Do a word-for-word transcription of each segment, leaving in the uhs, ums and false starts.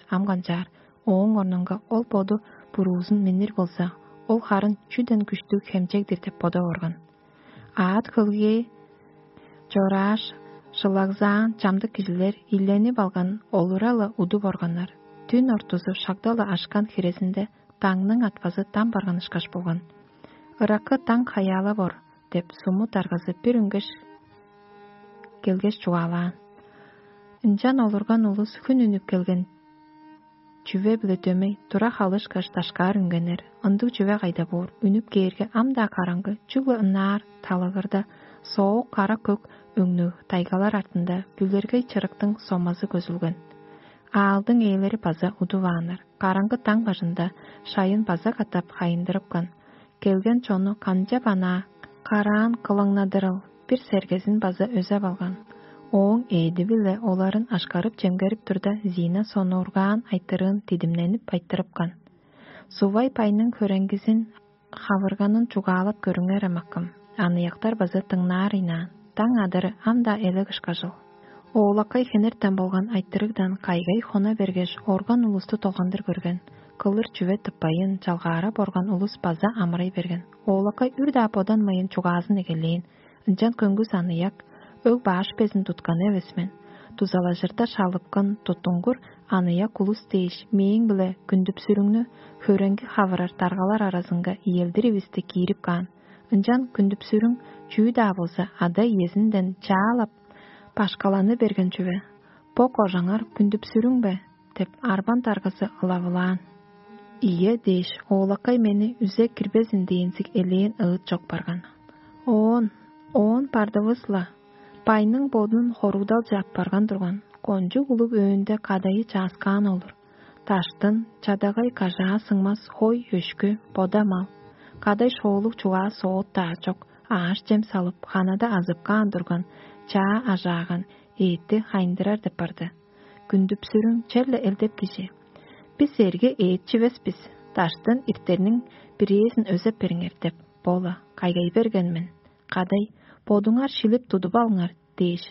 ам канчаар, ооң орнунга ол боду буруузун миннир болза, ол харын чүден күштүг хемчег-дир деп бодап орган. Аът хөлгээ чорааш, шылагзаан чамдык кижилер ийленип алган олура-ла удуп органнар. Түн ортузу шагда-ла ашкан хирезинде даңның атпазы дам барган ышкаш болган. «Ыраккы даң хаяала бор» деп, суму даргазы бир үнгеш келгеш чугаалаан. Ынчан олурган улус хүн үнүп келген чүве-биле дөмей тура халышкаш дашкаар үнгеннер. Ындыг чүве кайда боор? Үнүп кээрге, ам-даа караңгы, чүгле ынаар талагырда соок кара-көк өңнүг тайгалар артында бүлергей чырыктың сомазы көзүлген. Аалдың ээлери база удувааннар. Караңгы даң бажында шайын база катап хайындырыпкан. Келген чонну канчап анаа караан кылаңнадырыл, бир сергезин база өзеп алган. Ооң ээди-биле оларын ашкарып-чемгерип турда, Зина сонуургаан айтырыын дидимненип айтырыпкан. Сувай байның хөреңгизин хавырганын чугаалап көрүңер, амакым. Аныяктар база дыңнаар ыйнаан. Даң адыры ам-даа элек ышкажыл. Оолакай хенертен болган айтырыгдан кайгай хона бергеш, орган улусту долгандыр көрген. Кылыр чүве тыппайын, чалгаарап орган улус база амырай берген. Оолакай үр-даа боданмайын чугаазын эгелээн. Ынчан көңгүс аныяк, өг-баш безин тутканы эвес мен. Дузалажырда шалыпкан туттунгур аныяк улус дээш, мээң-биле Күндүп-сүрүңнү хөреңги хавырар даргалар аразынга иелдир ивисти киирип каан. Ынчан Күндүп-сүрүң чүү-даа болза, ада-иезинден чаалап, башкаланы берген чүве. «Бо кожаңар Күндүп-сүрүң бе?» — деп, арбан даргазы ылавылаан. «Ийе» — дээш, оолакай мени үзе кирбезин дээнзиг элээн ыыт чок барган. Оон, оон бардывыс-ла, байның бодун хоругдалче аппарган турган, кончуг улуг өөнде кадайы чааскаан олур. Даштын, чадагай кажаа сыңмас хой өшкү, бода мал, кадай шоолуг чугаа соот-даа чок, ааш-чем салып, ханада азып каан турган чаа ажааган эътти хайындырар деп барды. Күндүп-сүрүң черле элдеп кижи: «Бис эрге эът чивес бис, даштын иртерниң бирээзин өзеп бериңер» — деп, бо-ла кайгай берген мен. «Кадай, бодуңар шилип тудуп алыңар» — дээш,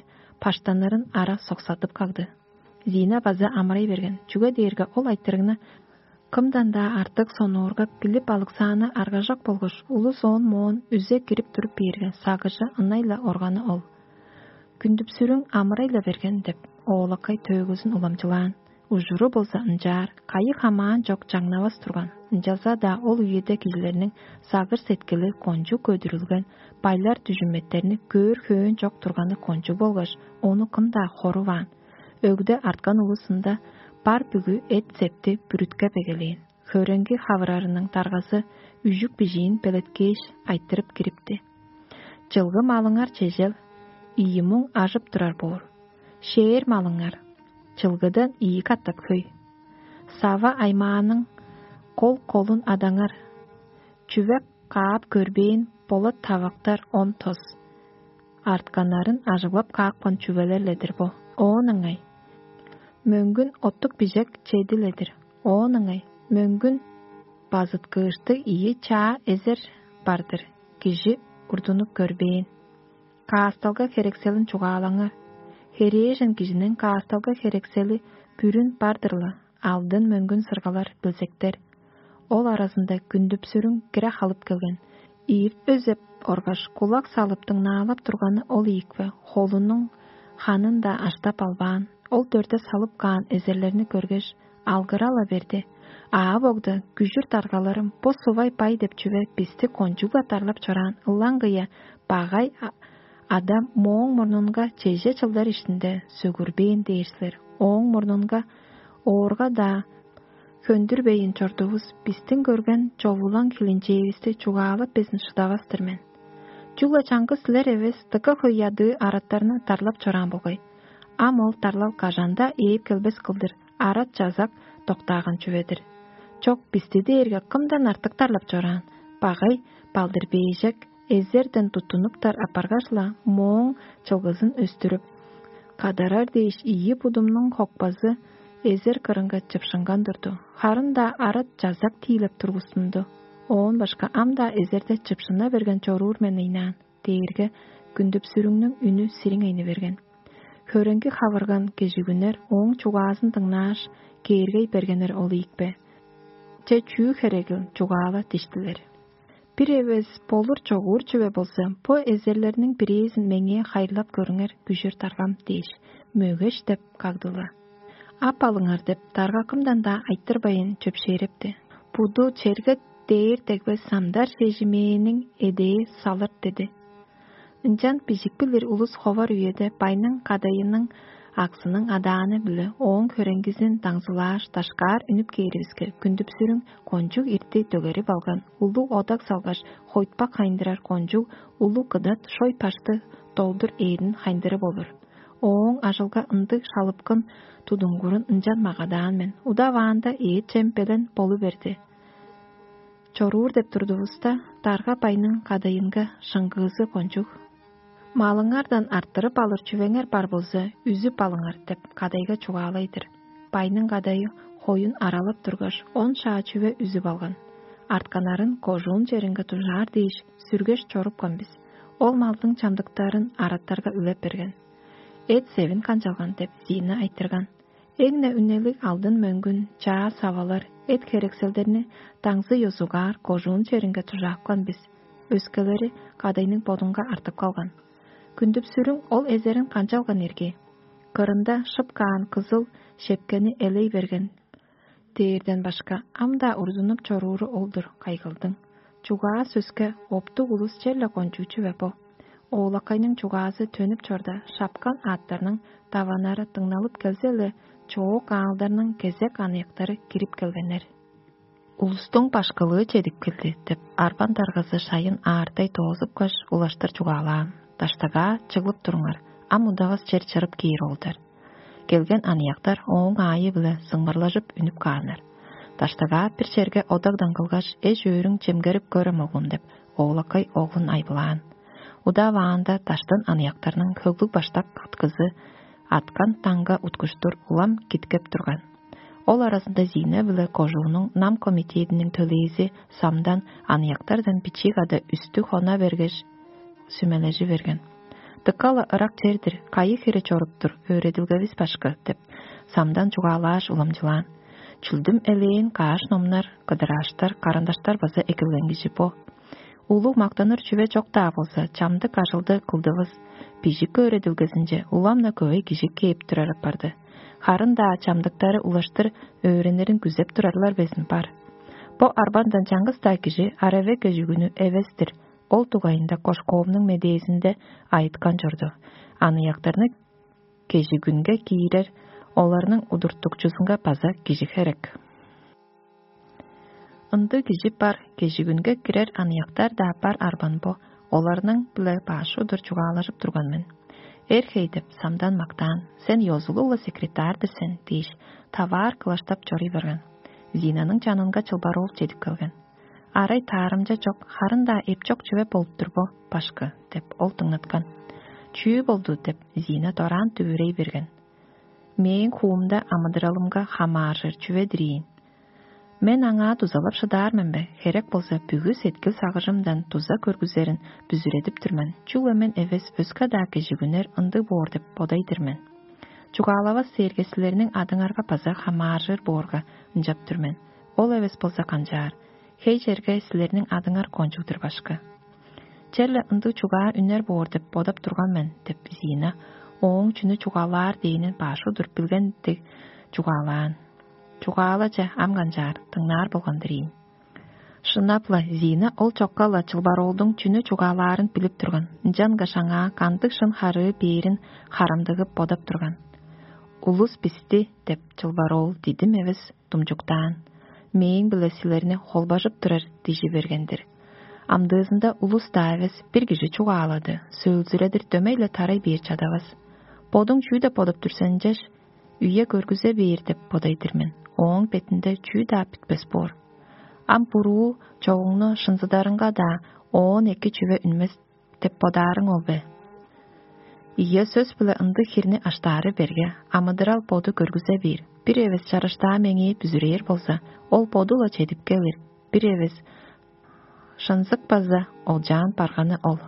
баштанырын ара соксадып кагды. Зина база амырай берген, чүге дээрге ол айтырыгны кымдан-даа артык сонуургап билип алыксааны аргажок болгаш, улус оон-моон үзе кирип туруп бээрге, сагыжы ынай-ла органы ол. «Күндүп-сүрүң амырай-ла берген» — деп, оолакай төөгүзүн уламчылаан. Ужуру болза ынчаар, кайы хамаан чок чаңнавас турган. Ынчалза-даа ол үеде кижилерниң сагыш-сеткили кончуг көдүрүлген, байлар дүжүметтерни көөр хөөн чок турганы кончуг болгаш, ону кым-даа хоруваан. Өгде арткан улузунда бар бүгү эт-септи бүрүткеп эгелээн. Хөреңги хавырарының даргазы үжүк бижиин белеткээш, айтырып кирипти: «Чылгы малыңар чежел, ийи муң ажып турар боор. Шээр малыңар чылгыдан ийи катап хөй. Сава аймааның кол-колун адаңар, чүве каап көрбээн болат тавактар он тос. Артканнарын ажыглап каапкан чүвелер-ле-дир бо. Оон ыңай мөңгүн оттук бижек чеди-ле-дир. Оон ыңай мөңгүн базыткыышты ийи чаа эзер бар-дыр, кижи урдунуп көрбээн. Каасталга херекселин чугаалаңар. Херээжен кижиниң каасталга херексели бүрүн бар-дыр-ла, алдын-мөңгүн сыргалар, билзектер. Ол аразында Күндүп-сүрүң кире халып келген. Ийирт өзеп оргаш, кулак салып дыңнаалап турганы ол ийикпе, холунуң ханын-даа аштап албаан. Ол дөрде салып каан эзерлерни көргеш, алгыра-ла берди: «Аав-огда, күжүр даргаларым, бо сувай бай деп чүве бисти кончуг-ла дарлап чораан, ылаңгыя багай а-, адам мооң мурнунга чеже чылдар иштинде сөгүрбээн дээр силер. Ооң мурнунга оорга-даа хөндүрбейн чордувус, бистиң көрген човулаң хилинчээвисти чугаалап безин шыдавас-тыр мен. Чүгле чаңгыс силер эвес, дыка хөй ядыы араттарны дарлап чораан болгай. Ам ол дарлал кажан-даа ээп келбес кылдыр арат-чазак доктааган чүве-дир. Чок, бисти дээрге кымдан артык дарлап чораан? Багай балдыр-бээжек эзерден туттунуптар апаргаш-ла, мооң чылгызын өстүрүп, кадарар дээш, ийи будумнуң хокпазы эзер кырынга чыпшынган турду. Харын-даа арат-чазак тиилеп тургустунду. Оон башка ам-даа эзерде чыпшына берген чоруур мен ыйнаан» — дээрге, Күндүп-сүрүңнүң үнү сириңейни берген. Хөреңги хавырган кежигүннер ооң чугаазын дыңнааш, кээргей бергеннер ол ийикпе? Че чүү херегил чугаала диштилер. Бир эвес болур чогуур чүве болза, бо эзерлерниң бирээзин меңээ хайырлап көрүңер, күжүр даргам дээш, мөгеш деп кагдыла. Ап алыңар деп даргакымдан-даа айтырбайн чөпшээрепти. Буду черге дээр дегбес самдар шежимээниң эдээ салыр деди. Ынчан бижик билир улус ховар үеде байның кадайының аксының адааны-биле ооң хөреңгизин даңзылааш дашкаар үнүп кээривиске, күндүпсүрүң кончуг ирти дөгерип алган, улуг одак салгаш, хойтпак хайындырар кончуг улуг кыдат шой пашты долдур ээрин хайындырып олур. Ооң ажылга ындыг шалыпкын тудунгурун ынчан магадаан мен. Удаваанда ээ чем белен болу берди. Чоруур деп турдувуста, дарга байның кадайынга шыңгыызы кончуг. Малыңардан арттырып алыр чүвеңер бар болза, үзүп алыңар деп кадайга чугаалай-дыр. Байның кадайы хоюн аралап тургаш, он шаа чүве үзүп алган. Артканнарын кожуун черинге дужаар дээш, сүргеш чорупкан бис. Ол малдың чамдыктарын араттарга үлеп берген. Эт-севин канчалган деп Зина айтырган. Эң-не үнелиг алдын-мөңгүн, чаа савалар, эт-херекселдерни даңзы ёзугаар кожуун черинге дужаапкан бис. Өскелери кадайның бодунга артып калган. Күндүпсүрүң ол эзерин канчалган ирги? Кырында шып каан кызыл шепкени элей берген дээрден башка ам-даа урзунуп чорууру ол-дур, кайгылдың. Чугаа сөске оптуг улус черле кончуучу бе бо? Оолакайның чугаазы төнүп чорда, шапкан аъттарның даваннары дыңналып келзе-ле, чоок аалдарның кезек аныяктары кирип келгеннер. Улустуң башкылыы чедип келди деп, арбан даргазы шайын аардай доозупкаш, улаштыр чугаалаан: «Даштагаа чыглып туруңар, ам удавас чер чырып кээр ол-дур». Келген аныяктар ооң аайы-биле сыңмырлажып үнүп кааннар. «Даштагаа бир черге одагдан кылгаш, эш-өөрүң чемгерип көрем, оглум» — деп, оолакай оглун айбылаан. Удаваанда даштан аныяктарның хөглүг баштак кыткызы аткан даңга уткуштур улам киткеп турган. Ол аразында Зина биле кожуунуң нам комитединиң төлээзи Самдан аныяктардан бичии када үстү хона бергеш, сүмележи берген. «Дыка-ла ырак чер-дир, кайы хире чоруп тур, өөредилгевис башкы?» — деп, Самдан чугаалааш уламчылаан. «Чүлдүм элээн каш номнар, кыдырааштар, карандаштар база экилген кижи бо. Улуг мактаныр чүве чок-даа болза, чамдык ажылды кылдывыс. Бижик өөредилгезинче улам-на көвей кижи кээп турар апарды. Харын-даа чамдыктары улаштыр өөренирин күзеп турарлар безин бар. Бо арбандан чаңгыс-даа кижи араве кежигүнү эвес-тир, ол дугайында Кошковнуң медээзинде айыткан чорду. Аныяктарны кежигүнге киирер, оларның удуртукчузунга база кижи херек. Ындыг кижи бар, кежигүнге кирер аныяктар-даа бар арбан бо, оларның-биле баш удур чугаалажып турган мен». «Эр хей» — деп, Самдан мактаан. «Сен ёзулуг-ла секретарь-дыр сен» — дээш, таваар кылаштап чоруй барган. Зинаның чанынга Чылбар-оол чедип келген. «Арай таарымча чок, харын-даа эпчок чүве болуп тур бо, башкы» — деп, ол дыңнаткан. «Чүү болду?» — деп, Зина дораан дүвүрей берген. «Мээң хуумда амыдыралымга хамааржыр чүве-дир ийин. Мен аңаа дузалап шыдаар мен бе? Херек болза, бүгү сеткил-сагыжымдан дуза көргүзерин бүзүредип тур мен. Чүгле мен эвес, өске-даа кежигүннер ындыг боор деп бодай-дыр мен. Чугаалавас дээрге, силерниң адыңарга база хамааржыр боорга ынчап тур мен. Ол эвес болза канчаар? Хей черге силерниң адыңар кончуг-дур, башкы». «Черле ындыг чугаа үнер боор деп бодап турган мен» — деп, Зина ооң чүнү чугаалаар дээнин баш удур билген дег чугаалаан. «Чугаала че, ам канчаар, дыңнаар болган-дыр ийин». Шынап-ла, Зина ол чокка-ла Чылбар-оолдуң чүнү чугаалаарын билип турган, ынчангаш аңаа кандыг шын харыы бээрин харамдыгып бодап турган. «Улус бисти» — деп, Чылбар-оол дидим эвес думчуктаан. «Мээң-биле силерни холбажып турар дижи берген-дир. Амдыызында улус-даа эвес, бир кижи чугаалады, сөөлзүредир дөмей-ле тарай бээр чадавас. Бодуң чүү деп бодап тур сен, чеш? Үе көргүзе бээр деп бодай-дыр мен. Ооң бетинде чүү-даа бүтпес боор. Ам буруу чогуңну шынзыдарыңга-даа оон эки чүве үнмес деп бодаарың ол бе? Ийе, сөс-биле ындыг хирни аштаары берге, амыдырал боду көргүзе бээр. Бир эвес чарыштаа меңээ бүзүрээр болза, ол боду-ла чедип келир. Бир эвес шынзык база олчаан барганы ол».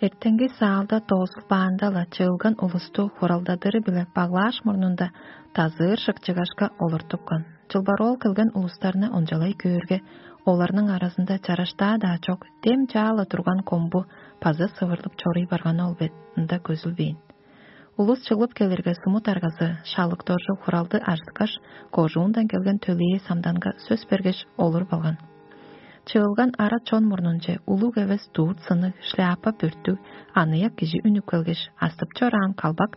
Эртенги саалда доозулбаанда-ла чыылган улусту хуралдадыры-биле баглааш мурнунда дазыыр шыкчыгашка олуртупкан. Чылбароол келген улустарны ончалай көөрге, оларның аразында чараштаа-даа чок, дем чаала турган комбу база сывырлып чоруй барганы ол бе, ында көзүлбээн. Улус чыглып келирге, сумут аргазы шалык доржу хуралды ажыткаш, кожуундан келген төлээ самданга сөс бергеш, олуруп алган. Чыылган ара чон мурнунче улуг эвес дурт сынныг, шляпа бүртүг аныяк кижи үнүп келгеш, астып чораан калбак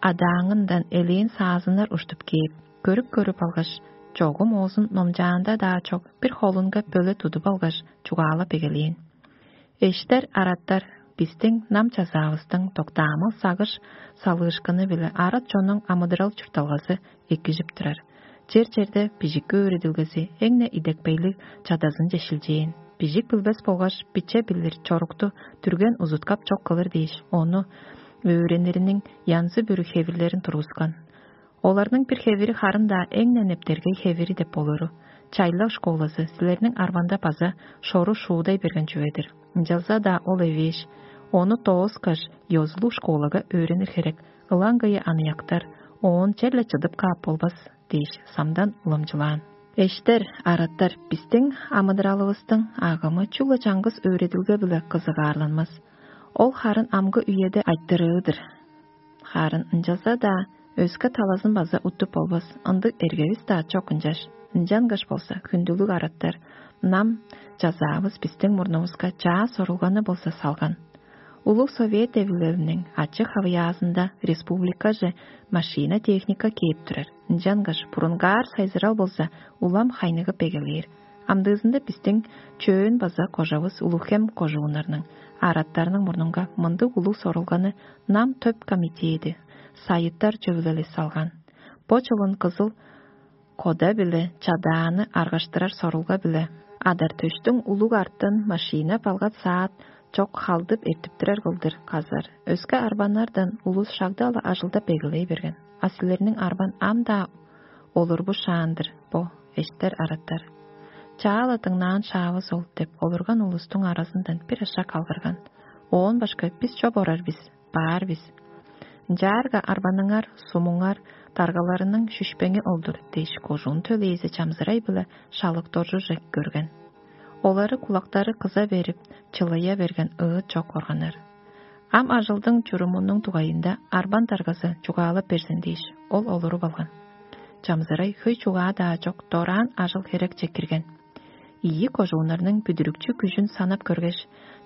адааңындан элээн саазыннар уштуп кээп, көрүп-көрүп алгаш, чогум оозун номчаанда-даа чок, бир холунга бөле тудуп алгаш, чугаалап эгелээн: «Эштер, араттар, бистиң нам чазаавыстың доктаамал сагыш салыышкыны-биле арат чоннуң амыдырал чуртталгазы экижип турар. Чер-черде бижикки өөредилгези эң-не идепкейлиг чадазынче шилчээн. Бижик билбес болгаш биче билир чорукту дүрген узуткап чок кылыр дээш, ону өөренириниң янзы-бүрү хевирлерин тургускан. Оларның бир хевири харын-даа эң-не нептергей хевири деп болуру. Чайлак школазы силерниң арбанда база шору шуудай берген чүве-дир. Ынчалза-даа ол эвээш, ону дооскаш, ёзулуг школага өөренир херек. Ылаңгыя аныяктар оон черле чыдып каап болбас» дээш, самдан уламчылаан. «Эштер, араттар, бистиң амыдыралывыстың агымы чүгле чаңгыс өөредилге-биле кызыгаарланмас. Ол харын амгы үеде айтырыы-дыр. Харын ынчалза-даа өске талазын база уттуп болбас, ындыг эргевис-даа чок ынчаш. Ынчангаш болза, хүндүлүг араттар, нам чазаавыс бистиң мурнувуска чаа сорулганы болза салган. Улуг Совет Эвилелиниң ачы-хавыяазында республикаже машина-техника кээп турар. Ынчангаш бурунгаар сайзырал болза, улам хайныгып эгелээр. Амдыызында бистиң Чөөн база Кожавыс Улуг-Хем кожууннарның араттарының мурнунга мындыг улуг сорулганы нам төп комитеди, сайыттар чөвүлели салган. Бо чылын кызыл кода-биле чадааны аргаштырар сорулга-биле адар-төштүң улуг артын машина-балгат саат чок халдып эртиптирер кылдыр казар. Өске арбаннардан улус шагда-ла ажылдап эгелей берген. А силерниң арбан ам-даа олурбу шаан-дыр бо, эштер, араттар. Чаа-ла дыңнаан шаавыс ол» деп, олурган улустуң аразындан бир ашак алгырган: «Оон башка бис чоп орар бис, баар бис. Ынчаарга арбаныңар, сумуңар даргаларының шүшпеңи ол-дур» дээш, кожуун төлээзи чамзырай-биле шалык доржуже көрген. Олары кулактары кыза берип, чылыя берген ыыт чок органнар. «Ам ажылдың чурумунуң дугайында арбан даргазы чугаалап берзин» дээш, ол олуруп алган. Чамзырай хөй чугаа-даа чок, дораан ажыл-херекче кирген. Ийи кожууннарның бүдүрүкчү күжүн санап көргеш,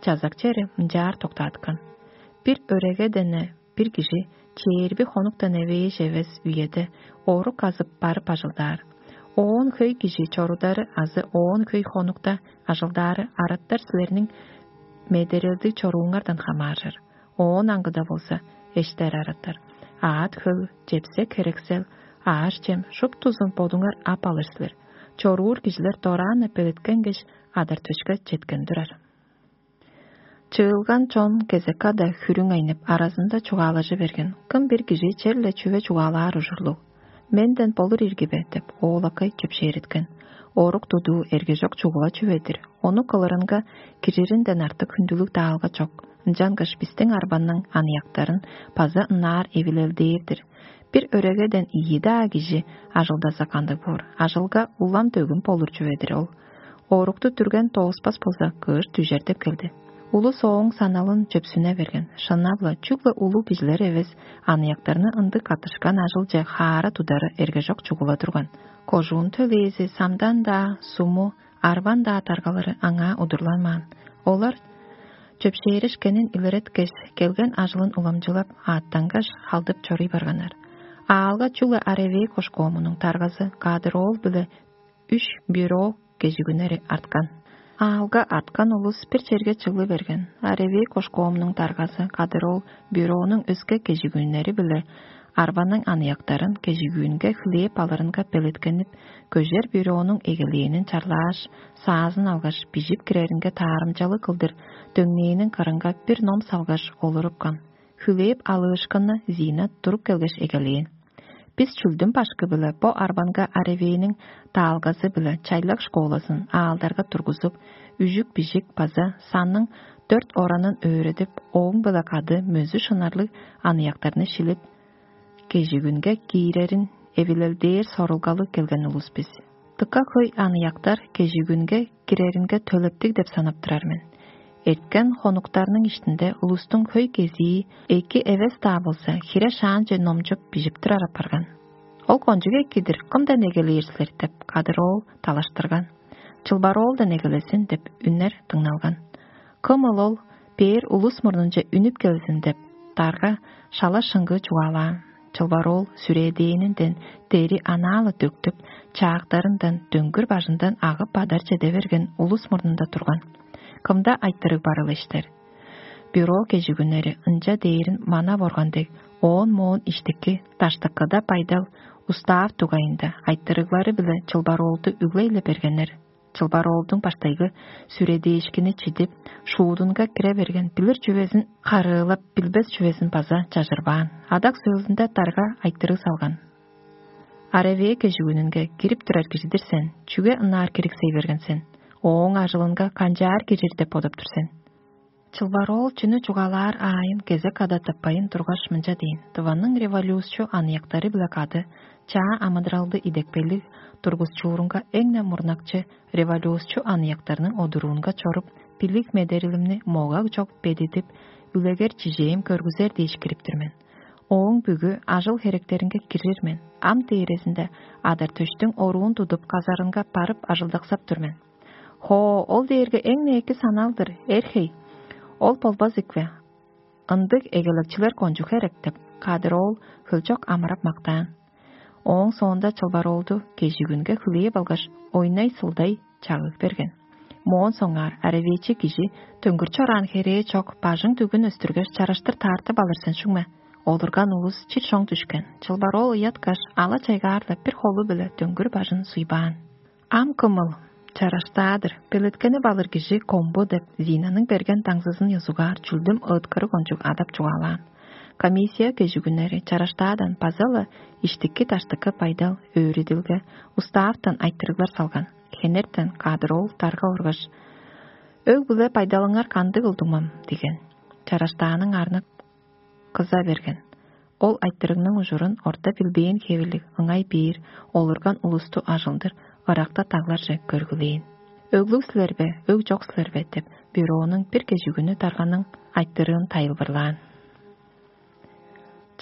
чазак чери мынчаар доктааткан: «Бир өрегеден-не бир кижи чээрби хонуктан эвээш эвес үеде орук азып барып ажылдаар. Оон хөй кижи чорудары азы оон хөй хонукта ажылдаары араттар силерниң медерелдиг чорууңардан хамааржыр. Оон аңгыда болза, эштер, араттар, аът-хөл, чепсек-херексел, аъш-чем шуптузун бодуңар ап алыр силер. Чоруур кижилер дораан-на белеткенгеш, адар-төшке четкен турар». Чыылган чон кезек-када хүрүң айнып, аразында чугаалажы берген: «Кым бир кижи черле чүве чугаалаар ужурлуг? Менден болур ирги бе?» — деп, оолакай чөпшээреткен. Орук тудуу эргежок чугула чүве-дир. Ону кылырынга кириринден артык хүндүлүг даалга чок. Ынчангаш бистиң арбанның аныяктарын база ынаар эвилелдээр-дир. Бир өрегеден ийи-даа кижи ажылдаза кандыг боор? Ажылга улам дөгүм болур чүве-дир ол. Орукту дүрген дооспас болза, кыш дүжер деп келди. Улус ооң саналын чөпсүне берген. Шынап-ла, чүгле улуг кижилер эвес, аныяктарны ындыг каттышкан ажылче хаара тудары эргежок чугула турган. Кожуун төлээзи самдан-даа, суму, арбан-даа даргалары аңаа удурланмаан. Олар чөпшээрешкенин илереткеш, келген ажылын уламчылап, аъттангаш, халдып чоруй барганнар. Аалга чүгле Аревей кошкоомунуң даргазы Кадыр-оол биле үш бюро кежигүннери арткан. Аалга арткан улус бир черге чыглы берген. Аревей кошкоомунуң даргазы Кадыр-оол бюронуң өске кежигүннери биле арбаның аныяктарын кежигүүнге хлеб алырынга белеткенип, көжер бюронуң эгелээнин чарлааш, саазын алгаш, бижип киреринге таарымчалыг кылдыр дөңнээниң кырынга бир ном салгаш, олурупкан. Хлеб алыышкыны Зина туруп келгеш эгелээн. Бис чүлдүм башкы-биле бо арбанга Аревейниң даалгазы-биле чайлак школазын аалдарга тургузуп, үжүк-бижик база санның өрт оранын өөредип, ооң-биле кады мөзү шынарлыг аныяктарны шилип, кежигүнге киирерин эвилелдээр сорулгалыг келген улус бис. Дыка хөй аныяктар кежигүнге киреринге төлептиг деп санап турар мен. Эрткен хонуктарның иштинде улустуң хөй кезии эки эвес-даа болза, хире шаанче номчуп бижип турар апарган. «Ол кончуг экидир, кымдан эгелээр силер?» — деп кадыр оол талаштырган. «Чылбар оолдан эгелезин» — деп үннер дыңналган. «Кымыл ол бээр улус мурнунче үнүп келзин» — деп, дарга шала шыңгыы чугаалаан. Чылбар оол сүрээдээнинден дери анаа-ла дөктүп, чаактарындан дөңгүр бажындан агып бадар чеде берген улус мурнунда турган. Кымда айтырыг барыл эштер? Бюро кежигүннери ынча дээрин манап орган дег, оон-моон иштики даштыкыда байдал устаав дугайында айтырыглары-биле чылбар оолду үглей-ле бергеннер. Чылбар оолдуң баштайгы сүредээшкини чидип, шуудунга кире берген, билир чүвезин харыылап, билбес чүвезин база чажырбаан. Адак сөөлүнде дарга айтырыг салган: «Аравея кежигүнүнге кирип турар кижи-дир сен, чүге ынаар кириксей берген сен? Ооң ажылынга канчаар кирир деп бодап тур сен?» Чылбар оол чүнү чугаалаар аайын кезек када тыппайн тургаш, мынча дээн: «Тываның революцчу аныяктары-биле кады чаа амыдыралды идепкейлиг тургузчуурунга эң-не мурнакчы революцчу аныяктарның одуруунга чоруп, билиг медерилимни могаг чок бедидип, үлегер чижээм көргүзер дээш кирип тур мен. Ооң бүгү ажыл-херектеринге кирир мен, ам дээрезинде адар-төштүң оруун тудуп, казарынга барып ажылдаксап тур мен». «Хоо, ол дээрге эң-не эки санал-дыр, эр-хей. Ол болбас ийикпе? Ындыг эгелекчилер кончуг херек» — деп, кадыр оол хөлчок амырап мактаан. Ооң соонда чылбар оолду кежигүнге хүлээп алгаш, ойнай-сылдай чагыг берген. Моон соңгаар аравеечи кижи дөңгүр чораан херээ чок, бажың дүгүн өстүргеш, чараштыр таартып алыр сен шуңме? Олурган улус чир чоң дүшкен. Чылбар оол ыяткаш, ала чайгаар-ла бир холу-биле дөңгүр бажын суйбаан. «Ам кымыл? Чараштаа-дыр, белеткенип алыр кижи Комбу» — деп, Зинаның берген даңзызын ёзугаар чүлдүм ыыткырыг ончуг адап чугаалаан. Комиссия кежигүннери чараштаадан база-ла иштики-даштыкы байдал, өөредилге, устааптан айтырыглар салган. Хенертен кадыр оол дарга оргаш: «Өг-бүле байдалыңар кандыг, улдуңмам?» — диген. Чараштааның арнак кыза берген. Ол айтырыгның ужурун орта билбээн хевирлиг, ыңай бээр, олурган улусту ажылдыр, ыракта дагларже көргүлээн. «Өглүг силер бе, өг чок силер бе?» — деп, бюронуң бир кежигүнү дарганың айтырыын тайылбырлаан.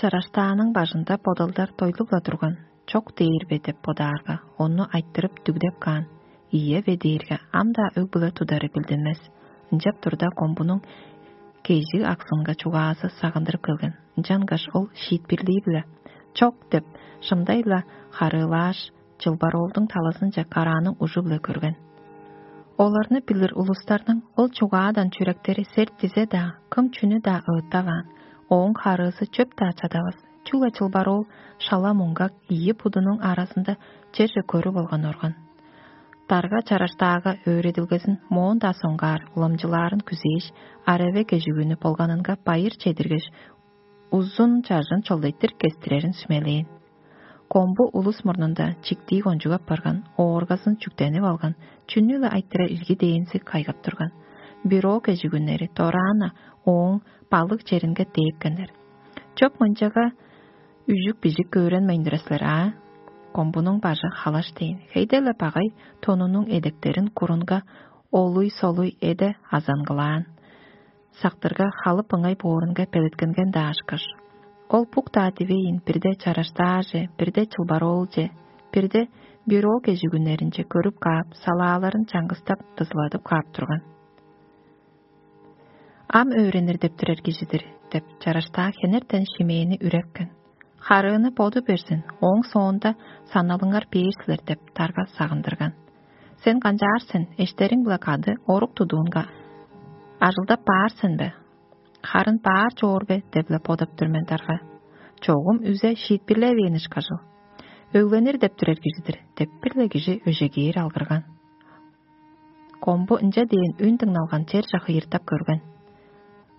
Чараштааның бажында бодалдар дойлуп-ла турган, чок дээр бе деп бодаарга, ону айтырып дүгдеп каан, ийе бе дээрге, ам-даа өг-бүле тудары билдинмес. Ынчап турда, Комбунуң кежиг аксынга чугаазы сагындырып келген. Ынчангаш ол шиитпирлии-биле: «Чок!» — деп, шымдай-ла харыылааш, чылбар оолдуң талазынче карааның ужу-биле көрген. Оларны билир улустарның ол чугаадан чүректери серт дизе-даа, кым чүнү-даа ыыттаваан, ооң харыызы чөп-даа чадавас, чүгле чылбар оол шала муңгак ийи будунуң аразында черже көрүп алган орган. Дарга чараштаага өөредилгезин моон-даа соңгаар уламчылаарын күзээш, араве кежигүнү болганынга байыр чедиргеш, узун чажын чолдайтыр кестирерин сүмелээн. Комбу улус мурнунда чиктии кончуг апарган, ооргазын чүктенип алган, чүнү-ле айтырар ирги дээнзиг кайгап турган. Бюро кежигүннери дораан-на ооң балык черинге дээпкеннер. «Чоп мынчага үжүк-бижик көөренмейн турар силер аа?» Комбунуң бажы халаш дээн. Хейде-ле багай тонунуң эдектерин курунга олуй-солуй эде азаңгылаан. Сактырга халып ыңай боорунга белеткенген даашкаш, ол бук-даа дивейн бирде чараштааже, бирде чылбар оолче, бирде бюро кежигүннеринче көрүп каап, салааларын чаңгыстап, дызыладып каап турган. «Ам өөренир деп турар кижи-дир» — деп, чараштаа хенертен шимээни үрепкен. «Харыыны боду берзин, ооң соонда саналыңар бээр силер» — деп, дарга сагындырган. «Сен канчаар сен, эштериң-биле кады орук тудуунга ажылдап баар сен бе? Харын баар чоор бе?» — деп-ле бодап тур мен, дарга. «Чогум үзе шиитпирлевээн ышкажыл. Өгленир деп турар кижи-дир» — деп, бир-ле кижи өжегээр алгырган. Комбу ынча дээн үн дыңналган черже хыйыртап көрген.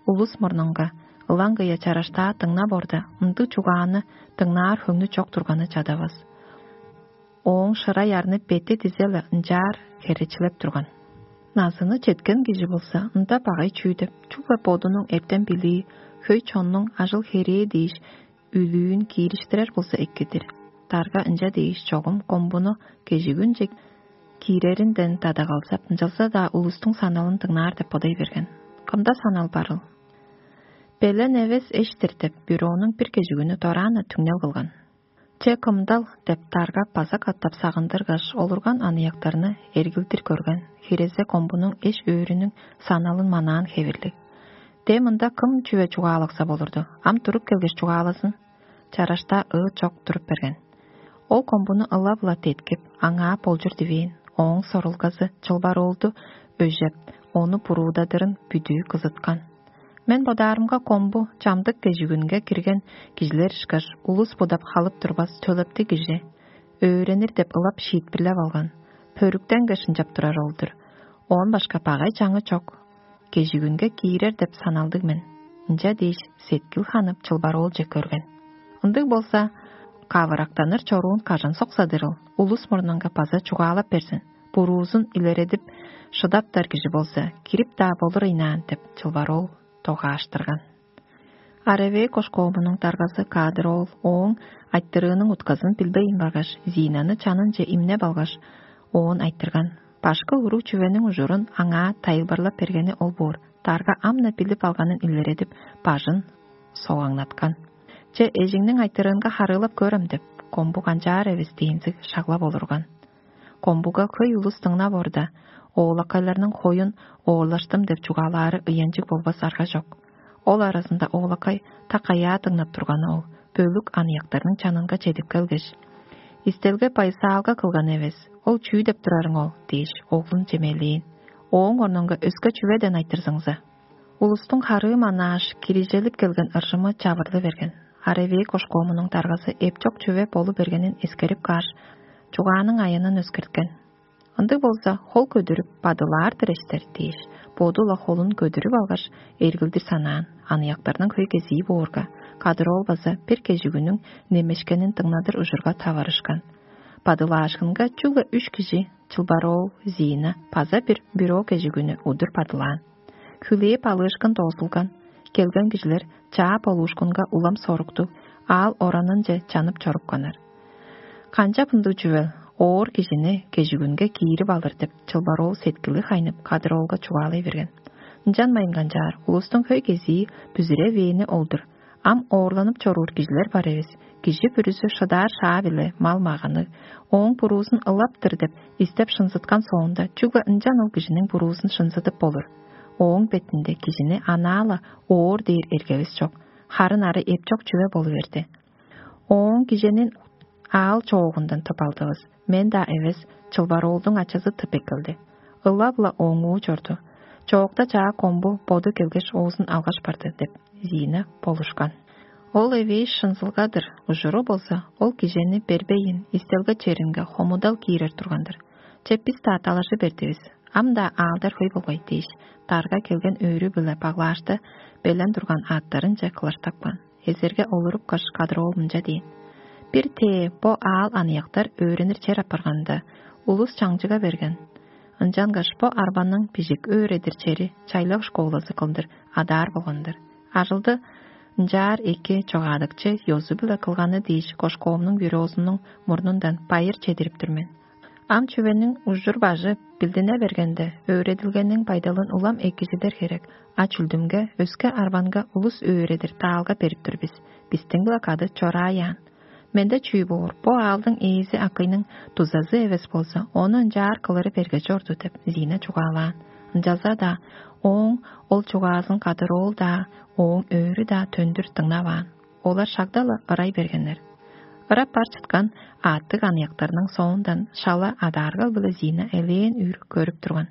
Улус мурнунга ылаңгыя чараштаа дыңнап орда, ындыг чугааны дыңнаар хөңнү чок турганы чадавас. Ооң шырай арны бети дизе-ле ынчаар херечилеп турган. Назыны четкен кижи болза, ында багай чүү деп, чүгле бодунуң эртен билии, хөй чоннуң ажыл-херээ дээш, үлүүн киириштирер болза эккедир. Дарга ынча дээш чогум комбуну кежигүнче кииреринден дадагалзап, ынчалза-даа улустуң саналын дыңнаар деп бодай берген. Кымда санал барыл? Белен эвес эш-тир деп, бюронуң бир кежигүнү дораан-на түңнел кылган. Че кымдал деп, дарга база катап сагындыргаш, олурган аныяктарны эргилдир көрген, хирезе комбунуң эш-өөрүнүң саналын манаан хевирлиг. Де мында кым чүве чугаалакса болурду, ам туруп келгеш чугаалазын. Чараштаа ыы чок туруп берген. Ол комбуну ылап-ла деткип, аңаа болчур дивээн, ооң сорулгазы чылбар оолду өжеп, ону буруудадырын бүдүү кызыткан. Мен бодаарымга комбу чамдык кежигүнге кирген кижилер ышкаш улус будап халып турбас төлептиг кижи, өөренир деп ылап шиитпирлеп алган, пөрүктенгеш ынчап турар ол-дур. Оон башка багай чаңы чок. Кежигүнге киирер деп саналдыг мен. Ынча дээш сеткил ханып чылбар оолче көрген. Ындыг болза, кавырактаныр чоруун кажан соксадырыл, улус мурнунга база чугаалап берзин. Буруузун илередип, шыдаптар кижи болза, кирип-даа болур ыйнаан деп чылбар ол догааштырган. Аревей кошкоомунуң даргазы каадыр ол ооң айтырыының утказын билбейн баргаш, Зинаны чанынче имнеп алгаш, оон айтырган. Башкы уруг чүвениң ужурун аңаа тайылбырлап бергени ол боор, дарга ам-на билип алганын илередип, бажын согаңнаткан. Че эжиңниң айтырыынга харыылап көрем деп, комбу канчаар эвес дээнзиг шаглап олурган. Комбуга хөй улус дыңнап орда, оолакайларның хоюн оорлаштым деп чугаалаары ыянчыг болбас арга чок. Ол аразында оолакай так аяа дыңнап турганы ол бөлүк аныяктарның чанынга чедип келгеш: «Истелге байысаалга кылган эвес, ол чүү деп турарың ол?» – дээш, оглун чемелээн. Ооң орнунга өске чүведен айтырзыңза. Улустуң харыы манааш, кирижелип келген ыржымы чавырлы берген. Аревей кошкоомунуң даргазы эпчок чүве болу бергенин эскерип кааш, чугааның аянын өскерткен. Ындыг болза, хол көдүрүп, бадылаар-дыр эштер дээш, боду-ла холун көдүрүп алгаш, эргилдир санаан, аныяктарның хөй кезии боорга, кадыр ол база бир кежигүнүң немешкенин дыңнадыр ужурга таварышкан. Бадылаашкынга чүгле үш кижи: чылбар ол Зиина база бир бюро кежигүнү удур бадылаан. Хүлээп алыышкын доозулган. Келген кижилер чаа болуушкунга улам соруктуг, аал оранынче чанып чорупканнар. Канчап ындыг чүвел, оор кижини кежигүнге киирип алыр деп, чылбар ол сеткили хайнып, кадыр оолга чугаалай берген. Ынчанмайн канчаар, улустуң хөй кезии бүзүревээни ол-дур. Ам оорланып чоруур кижилер бар эвес. Кижи бүрүзү шыдаар шаа-биле мал-маганныг, ооң буруузун ылаптыр деп истеп шынзыткан соонда, чүгле ынчан ол кижиниң буруузун шынзыдып болур. Ооң бетинде кижини анаа-ла оор дээр эргевис чок, харын ары эпчок чүве болу берди. Ооң киженин аал чоогундан тып алдывыс. Мен-даа эвес, чылбар оолдуң ачазы тып эккелди. Ылап-ла оңуу чорду. Чоокта чаа комбу боду келгеш, оозун алгаш барды деп, Зиина болушкан. Ол эвээш шынзылга-дыр, ужуру болза, ол кижени бербейн, истелге черинге хомудал киирер турган-дыр. Че бис-даа далажы бердивис. Ам-даа аалдар хөй болгай дээш, дарга келген өөрү-биле баглаашта белен турган аъттарынче кылаштапкан. Эзерге олурупкаш, кадыр ол мынча дээн: «Бир тээ бо аал аныяктар өөренир чер апарганда, улус чаңчыга берген. Ынчангаш бо арбаның бижик өөредир чери чайлак школазы кылдыр адаар болган-дыр. Ажылды ынчаар эки чогаадыкчы ёзу-биле кылганы дээш, кошкоомнуң бюрозунуң мурнундан байыр чедирип тур мен. Ам чүвениң ужур-бажы билдине бергенде, өөредилгениң байдалын улам экижидер херек, а чүлдүмге, өске арбанга улус өөредир даалга берип тур бис. Бистиң-биле кады чорааяан. Менде чүү боор, бо аалдың ээзи акыйның дузазы эвес болза, ону ынчаар кылыры берге чорду» – деп, Зиина чугаалаан. Ынчалза-даа ооң ол чугаазын кадыр оол-даа, ооң өөрү-даа төндүр дыңнаваан. Олар шагда-ла ырай бергеннер. Ырап бар чыткан аъттыг аныяктарның соондан шала адааргал-биле Зиина элээн үр көрүп турган.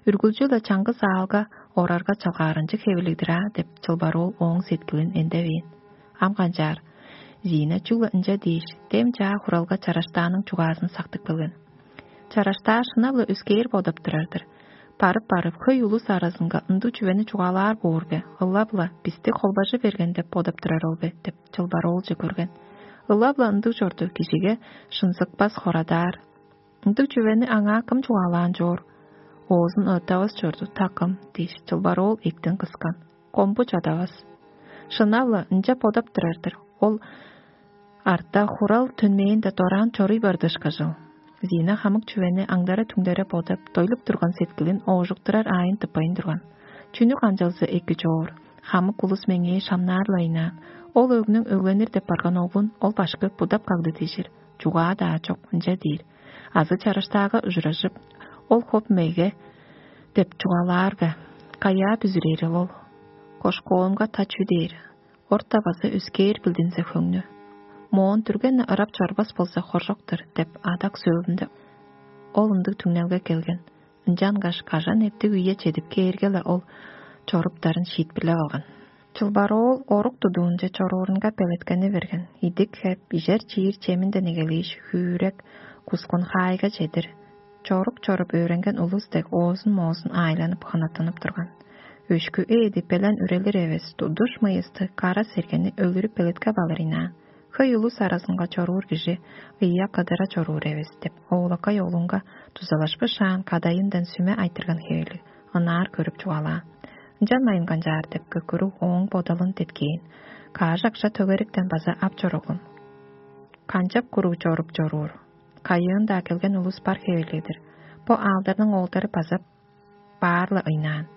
«Үргүлчү-ла чаңгыс аалга орарга чалгаарынчыг хевирлиг-дир аа» – деп, чылбар ол ооң сеткилин эндевээн. Ам канчаар, Зиина чүгле ынча дээш, дем чаа хуралга чараштааның чугаазын сактып келген. Чараштаа шынап-ла өскээр бодап турар-дыр. Барып-барып, хөй улус аразынга ындыг чүвени чугаалаар боор бе, ылап-ла бисти холбажы берген деп бодап турар ол бе деп, чылбар оолче көрген. Ылап-ла ындыг чорду, кижиге шынзыкпас хорадаар. Ындыг чүвени аңаа кым чугаалаан чоор? Оозун ыттавас чорду, такым дээш, чылбар оол эктен кыскан. Комбу чадавас. Шынап-ла ынча бодап турар-дыр. Ол арта хурал төнмээнде дораан чоруй барды ышкажыл. Зина хамык чүвени аңдара-түңдере бодап, дойлуп турган сеткилин оожуктурар аайын тыппайн турган. Чүнү канчалза эки чоор, хамык улус меңээ шамнаар-ла ыйнаан. Ол өгнүң өгленир деп барган оглун ол башкы будап кагды дижир. Чугаа-даа чок, ынча диир. Азы чараштаага ужуражып, ол хоп меге деп чугаалаар бе? Каяа бүзүрээрил ол? Кошкоомга та чүү дээр? Орта база өскээр билдинзе хөңнү. Моон дүрген ырап чорбас болза хоржок-тур деп адак сөөлүнде ол ындыг түңнелге келген. Ынчангаш кажан эптиг үе чедип кээрге-ле ол чоруптарын шиитпирлеп алган. Чылбар оол орук тудуунче чоруурунга белеткени берген. Идик хеп, ижер чиир чеминден эгелээш, хүүрек, кускун хаайга чедир. Чорук чоруп өөренген улус дег оозун-моозун аайланып ханаттанып турган. Өшкү ээди белен үрелир эвес, тудуш мыйысты кара сергени өлүрүп белеткеп алыр ыйнаан. Хөй улус аразынга чоруур кижи ыйа кыдыра чоруур эвес деп, оолакай оглунга дузалашпышаан кадайындан сүме айтырган хевелиг, ынаар көрүп чугаалаан. Ынчан майын канчаар деп көкүрүг ооң бодалын деткээн. Каажакша төгериктен база ап чор оглум. Канчап куруг чоруп чоруур? Кайыын-даа келген улус бар хевелиг-дир. Бо аалдарның оолдары база баар-ла ыйнаан.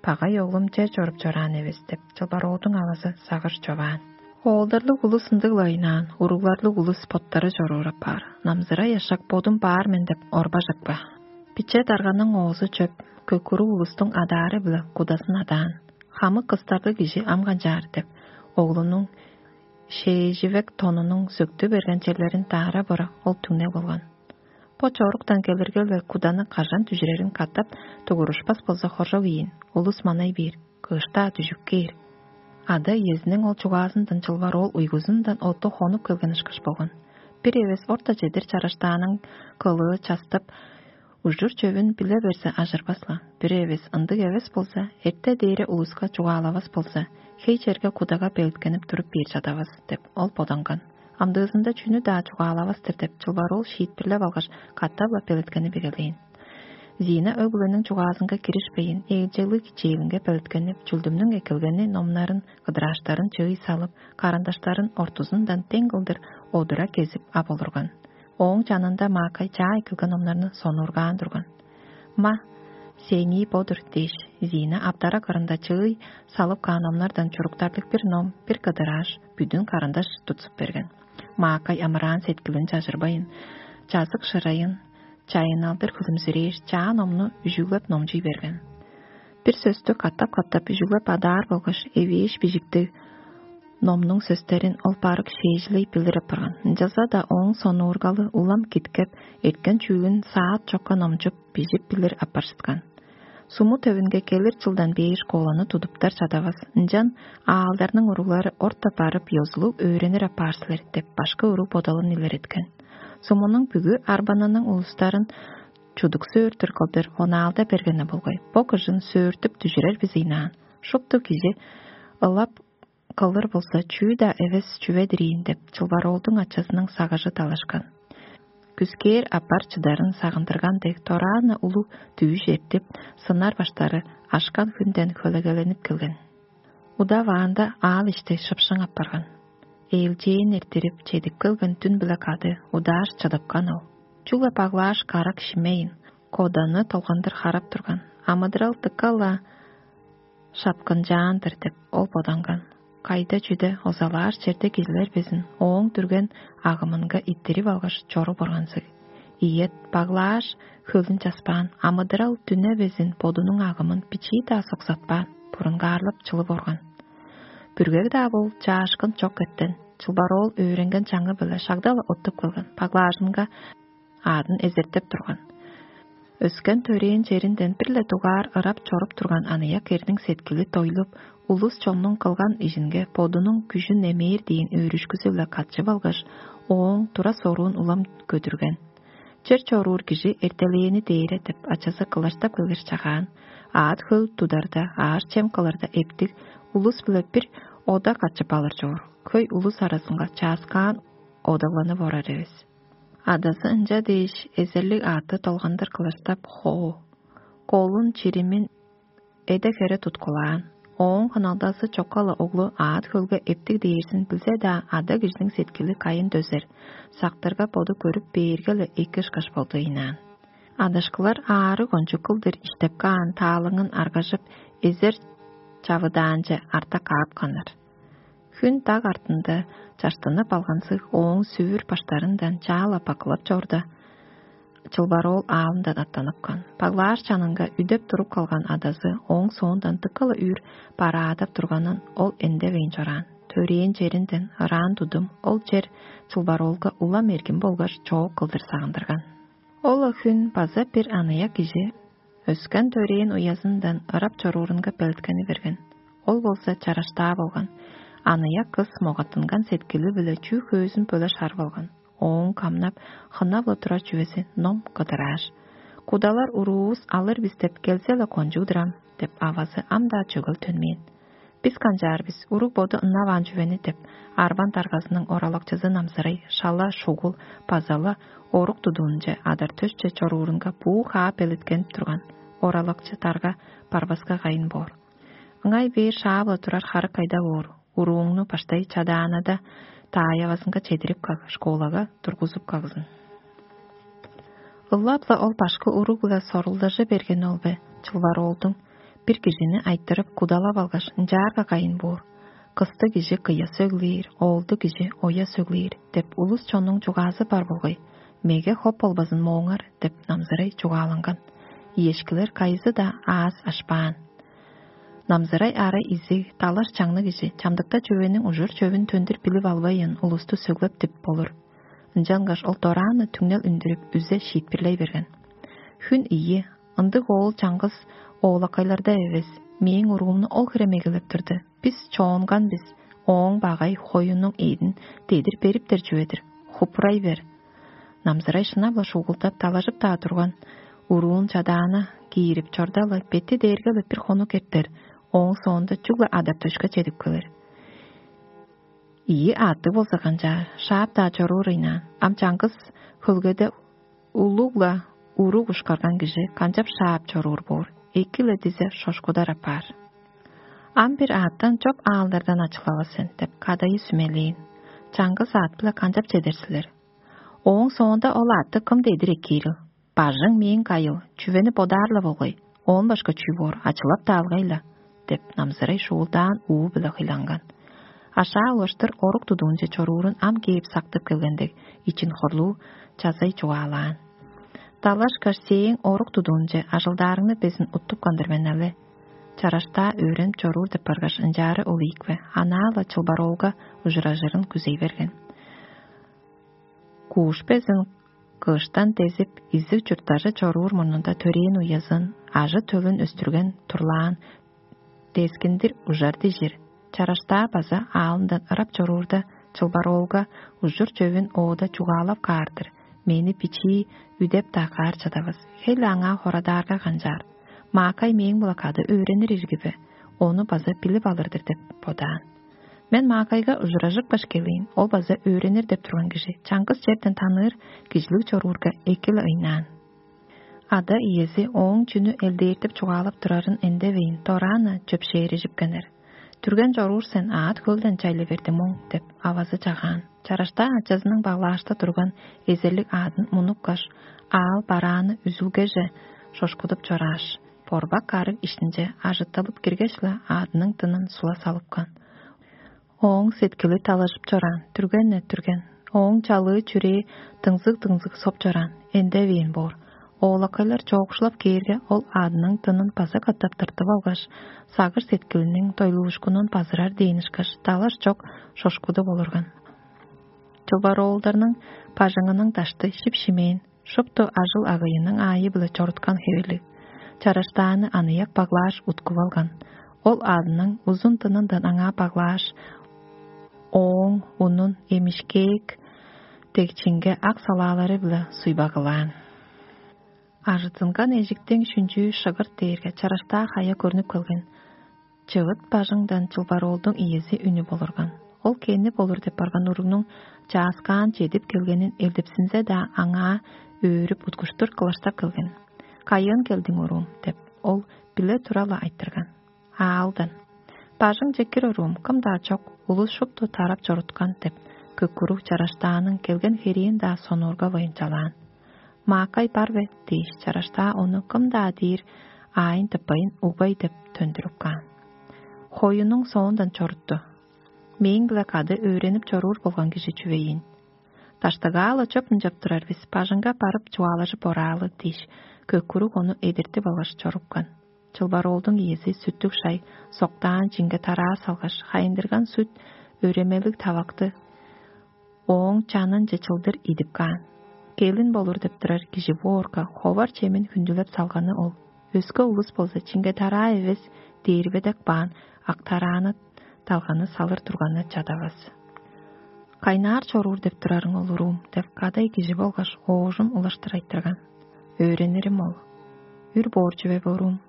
Багай оглум чер чоруп чораан эвес деп, чылбароодуң авазы сагыш човаан. Оолдарлыг улус ындыг-ла ыйнаан, уругларлыг улус боттары чоруур апаар. Намзырай ашак бодум баар мен деп орбажык ба? Биче дарганың оозу чөп, көкүрүг улустуң адаары-биле кудасын адаан. Хамык кыстарлыг кижи ам канчаар деп, оглунуң шээживек тонунуң сөктү берген черлерин даара бора ол түңнел болган. Бо чоруктан келирге-ле куданы кажан дүжүрерин катап тугурушпас болза хоржок ийин, улус манай бээр, кыышта дүжүп кээр. Ада иезиниң ол чугаазындан чылбар ол уйгузундан отту хонуп келген ышкаш болган. Бир эвес орта чедир чараштааның кылыы частып, ужур чөвүн биле берзе ажырбас-ла. Бир эвес ындыг эвес болза, эрте дээре улуска чугаалавас болза, хей черге кудага белеткенип туруп бээр чадавас деп ол боданган. Амдыызында чүнү-даа чугаалавас-тыр деп чылбар ол шиитпирлеп алгаш, катап-ла белеткенип эгелээн. Зина өг-бүлениң чугаазынга киришпейн, ээлчеглиг чээлинге белеткенип, чүлдүмнүң эккелгени номнарын, кыдырааштарын чыый салып, карандаштарын ортузундан дең кылдыр одура кезип ап олурган. Ооң чанында маакай чаа эккелген номнарны сонуургаан турган. Ма, сеңии бо-дур дээш, Зина аптара кырында чыый салып каан номнардан чуруктарлыг бир ном, бир кыдырааш, бүдүн карандаш тутсуп берген. Маакай амыраан сеткилин чажырбайн, чазык шырайын чайынналдыр хүлүмзүрээр чаа номну үжүглеп номчуй берген. Бир сөстү катап-катап үжүглеп адаар болгаш эвээш бижиктиг номнуң сөстерин ол барык шээжилей билир апарган. Ынчалза-даа ооң сонуургалы улам киткеп, эрткен чүүлүн саат чокка номчуп, бижип билир апаржыткан. Суму төвүнге келир чылдан бээр школаны тудуптар чадавас, ынчан аалдарның уруглары орта барып ёзулуг өөренир апаар силер деп башкы уруг бодалын илереткен. Сумунуң бүгү арбанының улустарын чудук сөөртүр кылдыр онаалда бергени болгай. Бо кыжын сөөртүп дүжүрер бис ыйнаан. Шупту кижи ылап кылыр болза, чүү-даа эвес чүве-дир ийин деп, чылбароолдуң ачазының сагыжы далашкан. Күскээр аппар чыдарын сагындырган дег, дораан-на улуг дүвүш эртип, сынар баштары ашкан хүнден хөлегеленип келген. Удаваанда аал ишти шыпшың апарган. Ээлчээн эрттирип, чедип келген дүн-биле кады удааш чыдыпкан ол. Чүгле баглааш карак шимейн, коданы толгандыр харап турган. Амыдырал дыка-ла шапкынчаан-дыр деп, ол боданган. Кайда-чүде озалаар черде кижилер безин ооң дүрген агымынга иттирип алгаш, чоруп органзыг. Ийет, баглааш, хөлүн часпаан, амыдырал дүне безин бодунуң агымын бичии-даа соксатпаан, бурунгаарлап чылып орган. Бүргег-даа бол, чаашкын чок эртен, чылбар оол өөренген чаңы-биле шагда-ла оттуп келген, баглаажынга аадын эзертеп турган. Өскен төрээн черинден бир-ле дугаар ырап чоруп турган аныяк эрниң сеткили дойлуп, улус чоннуң кылган ижинге бодунуң күжүн эмээр дээн өөрүшкүзү-биле катчып алгаш, ооң тура-соруун улам көдүрген. Чер чоруур кижи эртелээни дээре деп ачазы кылаштап келгеш чагаан. Аът-хөл тударда, аар-чем кылырда эптиг, улус-биле бир ода катчып алыр чоор. Хөй улус аразынга чааскаан одавланып орар эвес. Адазы ынча дээш, эзерлиг аътты долгандыр кылаштап: «Хоо, Колун чиримин эде-хере туткулаан. Ооң хыналдазы чокка-ла оглу аът хөлге эптиг дээрзин билзе-даа, ада кижиниң сеткили кайын дөзер, сактырга боду көрүп бээрге-ле эки ышкаш болду ыйнаан. Адашкылар аарыг кончуг кылдыр иштеп каан таалыңын аргажып, эзер чавыдаанче арта каап каннар. Хүн даг артында чаштынып алгансыг ооң сүвүр баштарындан чаала бакылап чорда, чылбар оол аалындан аттаныпкан. Баглаар чанынга үдеп туруп калган адазы ооң соондан дыка-ла үр бараадап турганын ол эндевейн чораан. Төрээн черинден ыраан тудум ол чер чылбар оолга улам эргим болгаш чоок кылдыр сагындырган. Ол-ла хүн база бир аныяк кижи өскен төрээн уязындан ырап чоруурунга белеткени берген. Ол болза чараштаа болган. Аныяк кыс могаттынган сеткили-биле чүү хөөзүн бөле шарып алган. Ооң камнап, хынап-ла турар чүвези ном кыдырааш: «Кудалар уруувус алыр бис деп келзе-ле кончуг-дур ам» — деп, авазы ам-даа чөгел төнмээн. «Бис канчаар бис, уруг боду ынаваан чүвени» — деп, арбан даргазының оралакчызы Намзырай шала шугул база-ла орук тудуунче адар-төсче чоруурунга буу хаа белеткенип турган. Оралакчы дарга барбаска кайын боор. Ыңай бээр шаап-ла турар харык кайда боор? Урууңну баштай чадаанада таайавазынга чедирип каг, школага тургузуп кагзын. Ылап-ла ол башкы уруг-биле сорулдажа берген ол бе, чылбар оолдуң бир кижини айтырып кудалап алгаш, ынчаарга кайын боор? «Кысты кижи кыя сөглээр, оолду кижи оя сөглээр» — деп улус чоннуң чугаазы бар болгай. «Меге хоп болбазын мооңар» — деп Намзырай чугааланган. Иешкилер кайызы-даа аас ашпаан. Намзырай ара изиг, талаш чаңныг кижи, чамдыкта чүвениң ужур-чөвүн төндүр билип албайын, улусту сөглеп дип болур. Ынчангаш ол дораан-на түңнел үндүрүп, үзе шиитпирлей берген. Хүн ийи, ындыг оол чаңгыс оолакайларда эвес, мээң уруумну ол хире мегелеп турду. Бис чоонган бис, ооң багай хоюнуң эъдин дедир бериптер чүве-дир. Хупурай бер. Намзырай шынап-ла шугулдап, далажып-даа турган. Уруун чадаана киирип чорда-ла, бети дээрге-ле бир хонук эртер, ооң соонда чүгле адар-төшке чедип келир. Ийи аъттыг болза канчаар, шаап-даа чоруур ыйнаан. Ам чаңгыс хөлгеде улуг-ла уруг ушкарган кижи канчап шаап чоруур боор, эки-ле дизе шошкудар апаар. Ам бир аъттан чоп аалдардан ачылавас сен деп, кадайы сүмелээн. Чаңгыс аът-биле канчап чедер силер? Ооң соонда ол аътты кым дедир эккээрил? Бажың мээң кайыл, чүвени бодаар-ла болгай, оон башка чүү боор, ачылап-даа алгай-ла деп, Намзырай шуулдаан уу-биле хыйланган. Ашаа улаштыр орук тудуунче чоруурун ам кээп сактып келгендиг, ичин хорлуу чазай чугаалаан. Далашкаш сээң орук тудуунче ажылдаарыңны безин уттуп кандыр мен але. Чараштаа өөренип чоруур деп баргаш, ынчаары ол ийикпе, анаа-ла чылбар оолга ужуражырын күзей берген. Кууш безин кыштан дезип, изиг чурттажы чоруур мурнунда төрээн уязын, ажы-төлүн өстүрген турлаан дескиндир ужар дижир. Чараштаа база аалындан ырап чоруурда, чылбар оолга ужур-чөвүн оода чугаалап каар-дыр. Мени бичии үдеп-даа каар чадавас. Хей-ле аңаа хорадаарга канчаар? Маакай мээң-биле кады өөренир ирги бе? Ону база билип алыр-дыр деп бодаан. Мен Маакайга ужуражыпкаш келээн, ол база өөренир деп турган кижи, чаңгыс черден таныыр кижилиг чоруурга эки-ле ыйнаан. Ада-иези ооң чүнү элдээртип чугаалап турарын эндевейн, дораан-на чөпшээрижипкеннер. «Түрген чоруур сен, аът хөлден чайлы берди моң» — деп, авазы чагаан. Чараштаа ачазының баглаашта турган эзерлиг аъдын мунупкаш, аал барааны үзүлгеже шошкудуп чорааш, борбак карыг иштинче ажытталып киргеш-ле, аъдының дынын сула салыпкан. Ооң сеткили талажып чораан, түрген-не түрген. Ооң чалыы чүрээ дыңзыг-дыңзыг соп чораан, эндевээн боор. Оолакайлар чоокшулап кээрге, ол аъдының дынын база катап тыртып алгаш, сагыш-сеткилиниң дойлуушкунун базырар дээн ышкаш, далаш чок шошкудуп олурган. Чылбар оолдарның бажыңының дашты шип-шимээн, шупту ажыл-агыйының аайы-биле чоруткан хевирлиг. Чараштааны аныяк баглааш уткуп алган. Ол аъдының узун дынындан аңаа баглааш, ооң унун эмишкээк дегчиңге ак салаалары-биле суйбагылаан. Ажыттынган эжиктиң шүнчүү шыгырт дээрге чараштаа хая көрнүп келген. Чывыт бажыңдан чылбар оолдуң иези үнүп олурган. Ол кеннип олур деп барган уругнуң чааскаан чедип келгенин элдипсинзе-даа, аңаа өөрүп, уткуштур кылаштап келген. «Кайыын келдиң, уруум?» — деп, ол биле тура-ла айтырган. «Аалдан». «Бажыңче кир, уруум, кым-даа чок, улус шупту тарап чоруткан» — деп, көккүрүг чараштааның келген херээн-даа сонуургавайн чалаан. «Маакай бар бе?» — дээш, чараштаа ону кым-даа дээр аайын тыппайн, угбай деп төндүрүп каан. Хоюнуң соондан чорутту. «Мээң-биле кады өөренип чоруур болган кижи чүве ийин. Даштыгаа-ла чоп ынчап турар бис, бажыңга барып чугаалажып ораалы» — дээш, көккүрүг ону эдертип алгаш чорупкан. Чылбар оолдуң иези сүттүг шай, соктаан чинге тараа салгаш, хайындырган сүт өремелиг тавакты ооң чанынче чылдыр идип каан. Келин болур деп турар кижи боорга, ховар чемин хүндүлеп салганы ол. Өске улус болза, чинге тараа эвес, дээрбедек баан, ак тарааны далганы салыр турганы чадавас. «Кайнаар чоруур деп турарың ол, уруум?» — деп кадай кижи болгаш оожум улаштыр айтырган. «Өөрениримол. Үр боор чүве бе, уруум?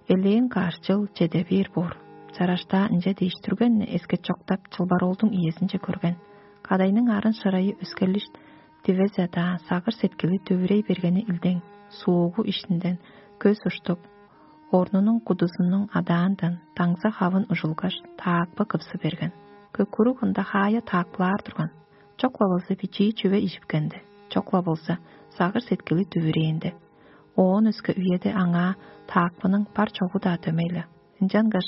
Элээн каш чыл чеде бээр боор». Чараштаа ынча дээш, түргенни эскет чоктап, чылбар оолдуң иезинче көрген. Кадайның арын шырайы өскерлиш, дивезе-даа сагыш-сеткили дүвүрей бергени илдең, суугу иштинден көс уштуп, орнунуң кудузунуң адаандан даңза хавын ужулгаш, таакпы кывсы берген. Көккүрүк ында хаая таакпылаар турган. Чок-ла болза, бичии чүве ижипкенди, чок-ла болза, сагыш-сеткили дүвүрээнди. Оон өске үеде аңаа таакпының бар-чогу-даа дөмей-ле. Ынчангаш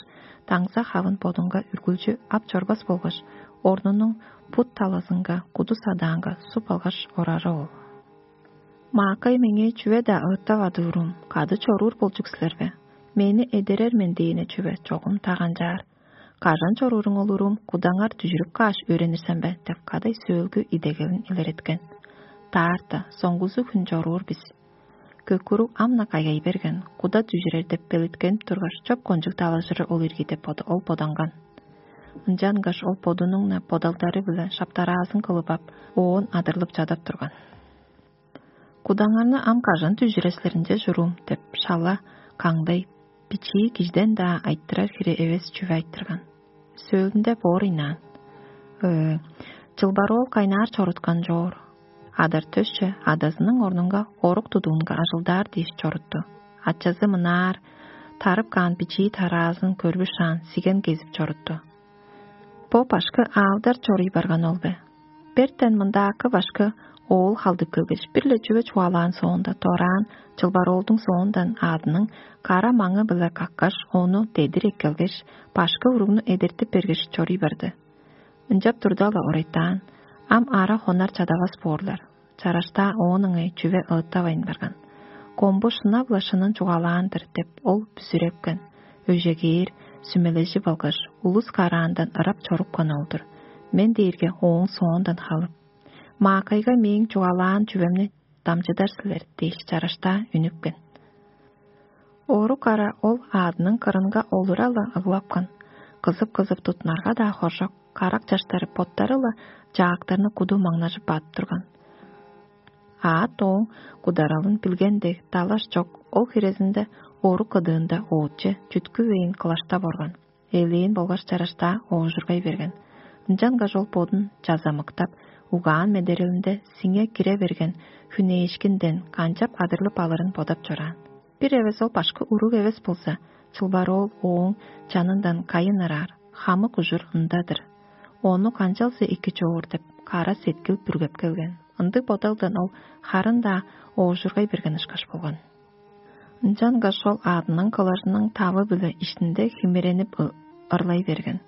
даңза хавын бодунга үргүлчү ап чорбас болгаш, орнунуң бут талазынга куду садаанга суп алгаш орары ол. «Маакай меңээ чүве-даа ыыттавады, уруум, кады чоруур болчук силер бе? Мени эдерер мен дээне чүве чогум таганчаар. Кажан чорууруң ол, уруум, кудаңар дүжүрүп кааш өөренир сен бе?» — деп кадай сөөлгү идегелин илереткен. «Таарта, соңгузу хүн чоруур бис». Көккүрүк ам-на кайгай берген, куда дүжүрер деп белеткенип тургаш, чоп кончуг талажыры ол ирги деп бода-, ол боданган. Ынчангаш ол бодунуң-на бодалдары-биле шаптараазын кылып ап, оон адырлып чадап турган. «Кудаңарны ам кажан дүжүрер силер, ынча чуруум?» — деп шала каңдай, бичии кижиден-даа айтырар хире эвес чүве айтырган. Сөөлүнде боор ыйнаан: «Ээ, чылбар оол кайнаар чоруткан чоор. Адар-төсче адазының орнунга орук тудуунга ажылдаар дээш чорутту. Ачазы мынаар тарып каан бичии тараазын көрбүшаан, сиген кезип чорутту. Бо башкы аалдар чоруй барган ол бе? Бертен мындаакы башкы оол халдып келгеш, бир-ле чүве чугаалаан соонда, дораан чылбар оолдуң соондан аадының кара маңы-биле каккаш, ону дедир эккелгеш, башкы уругну эдертип бергеш, чоруй барды. Ынчап турда-ла орайтаан, ам ара хонар чадавас боорлар. Чараштаа оон ыңай чүве ыыттавайн барган. Комбу шынап-ла шынын чугаалаан-дыр» — деп, ол бүзүрепкен. Өжегээр, сүмележип алгаш, улус караандан ырап чорупкан ол-дур. Мен дээрге ооң соондан халып: «Маакайга мээң чугаалаан чүвемни дамчыдар силер» — дээш, чараштаа үнүпкен. Орук ара ол аадының кырынга олура-ла ыглапкан. Кызып-кызып тутнарга-даа хоржок, карак чаштары боттары-ла чаактарны куду маңнажып бадып турган. Аът ооң кударалын билген дег, далаш чок, ол хирезинде орук кыдыында оотче чүткүвейн кылаштап орган. Элээн болгаш чараштаа оожургай берген. Ынчангаш ол бодун чазамыктап, угаан медерелинде сиңе кире берген хүнээшкинден канчап адырлып алырын бодап чораан. Бир эвес ол башкы уруг эвес болза, чылбар оол ооң чанындан кайын ыраар, хамык ужур ында-дыр. Ону канчалза эки човур деп, кара сеткил бүргеп келген. Ындыг бодалдан ол харын-даа оожургай берген ышкаш болган. Ынчангаш ол аъдының кылажының тавы-биле иштинде химиренип ы-, ырлай берген.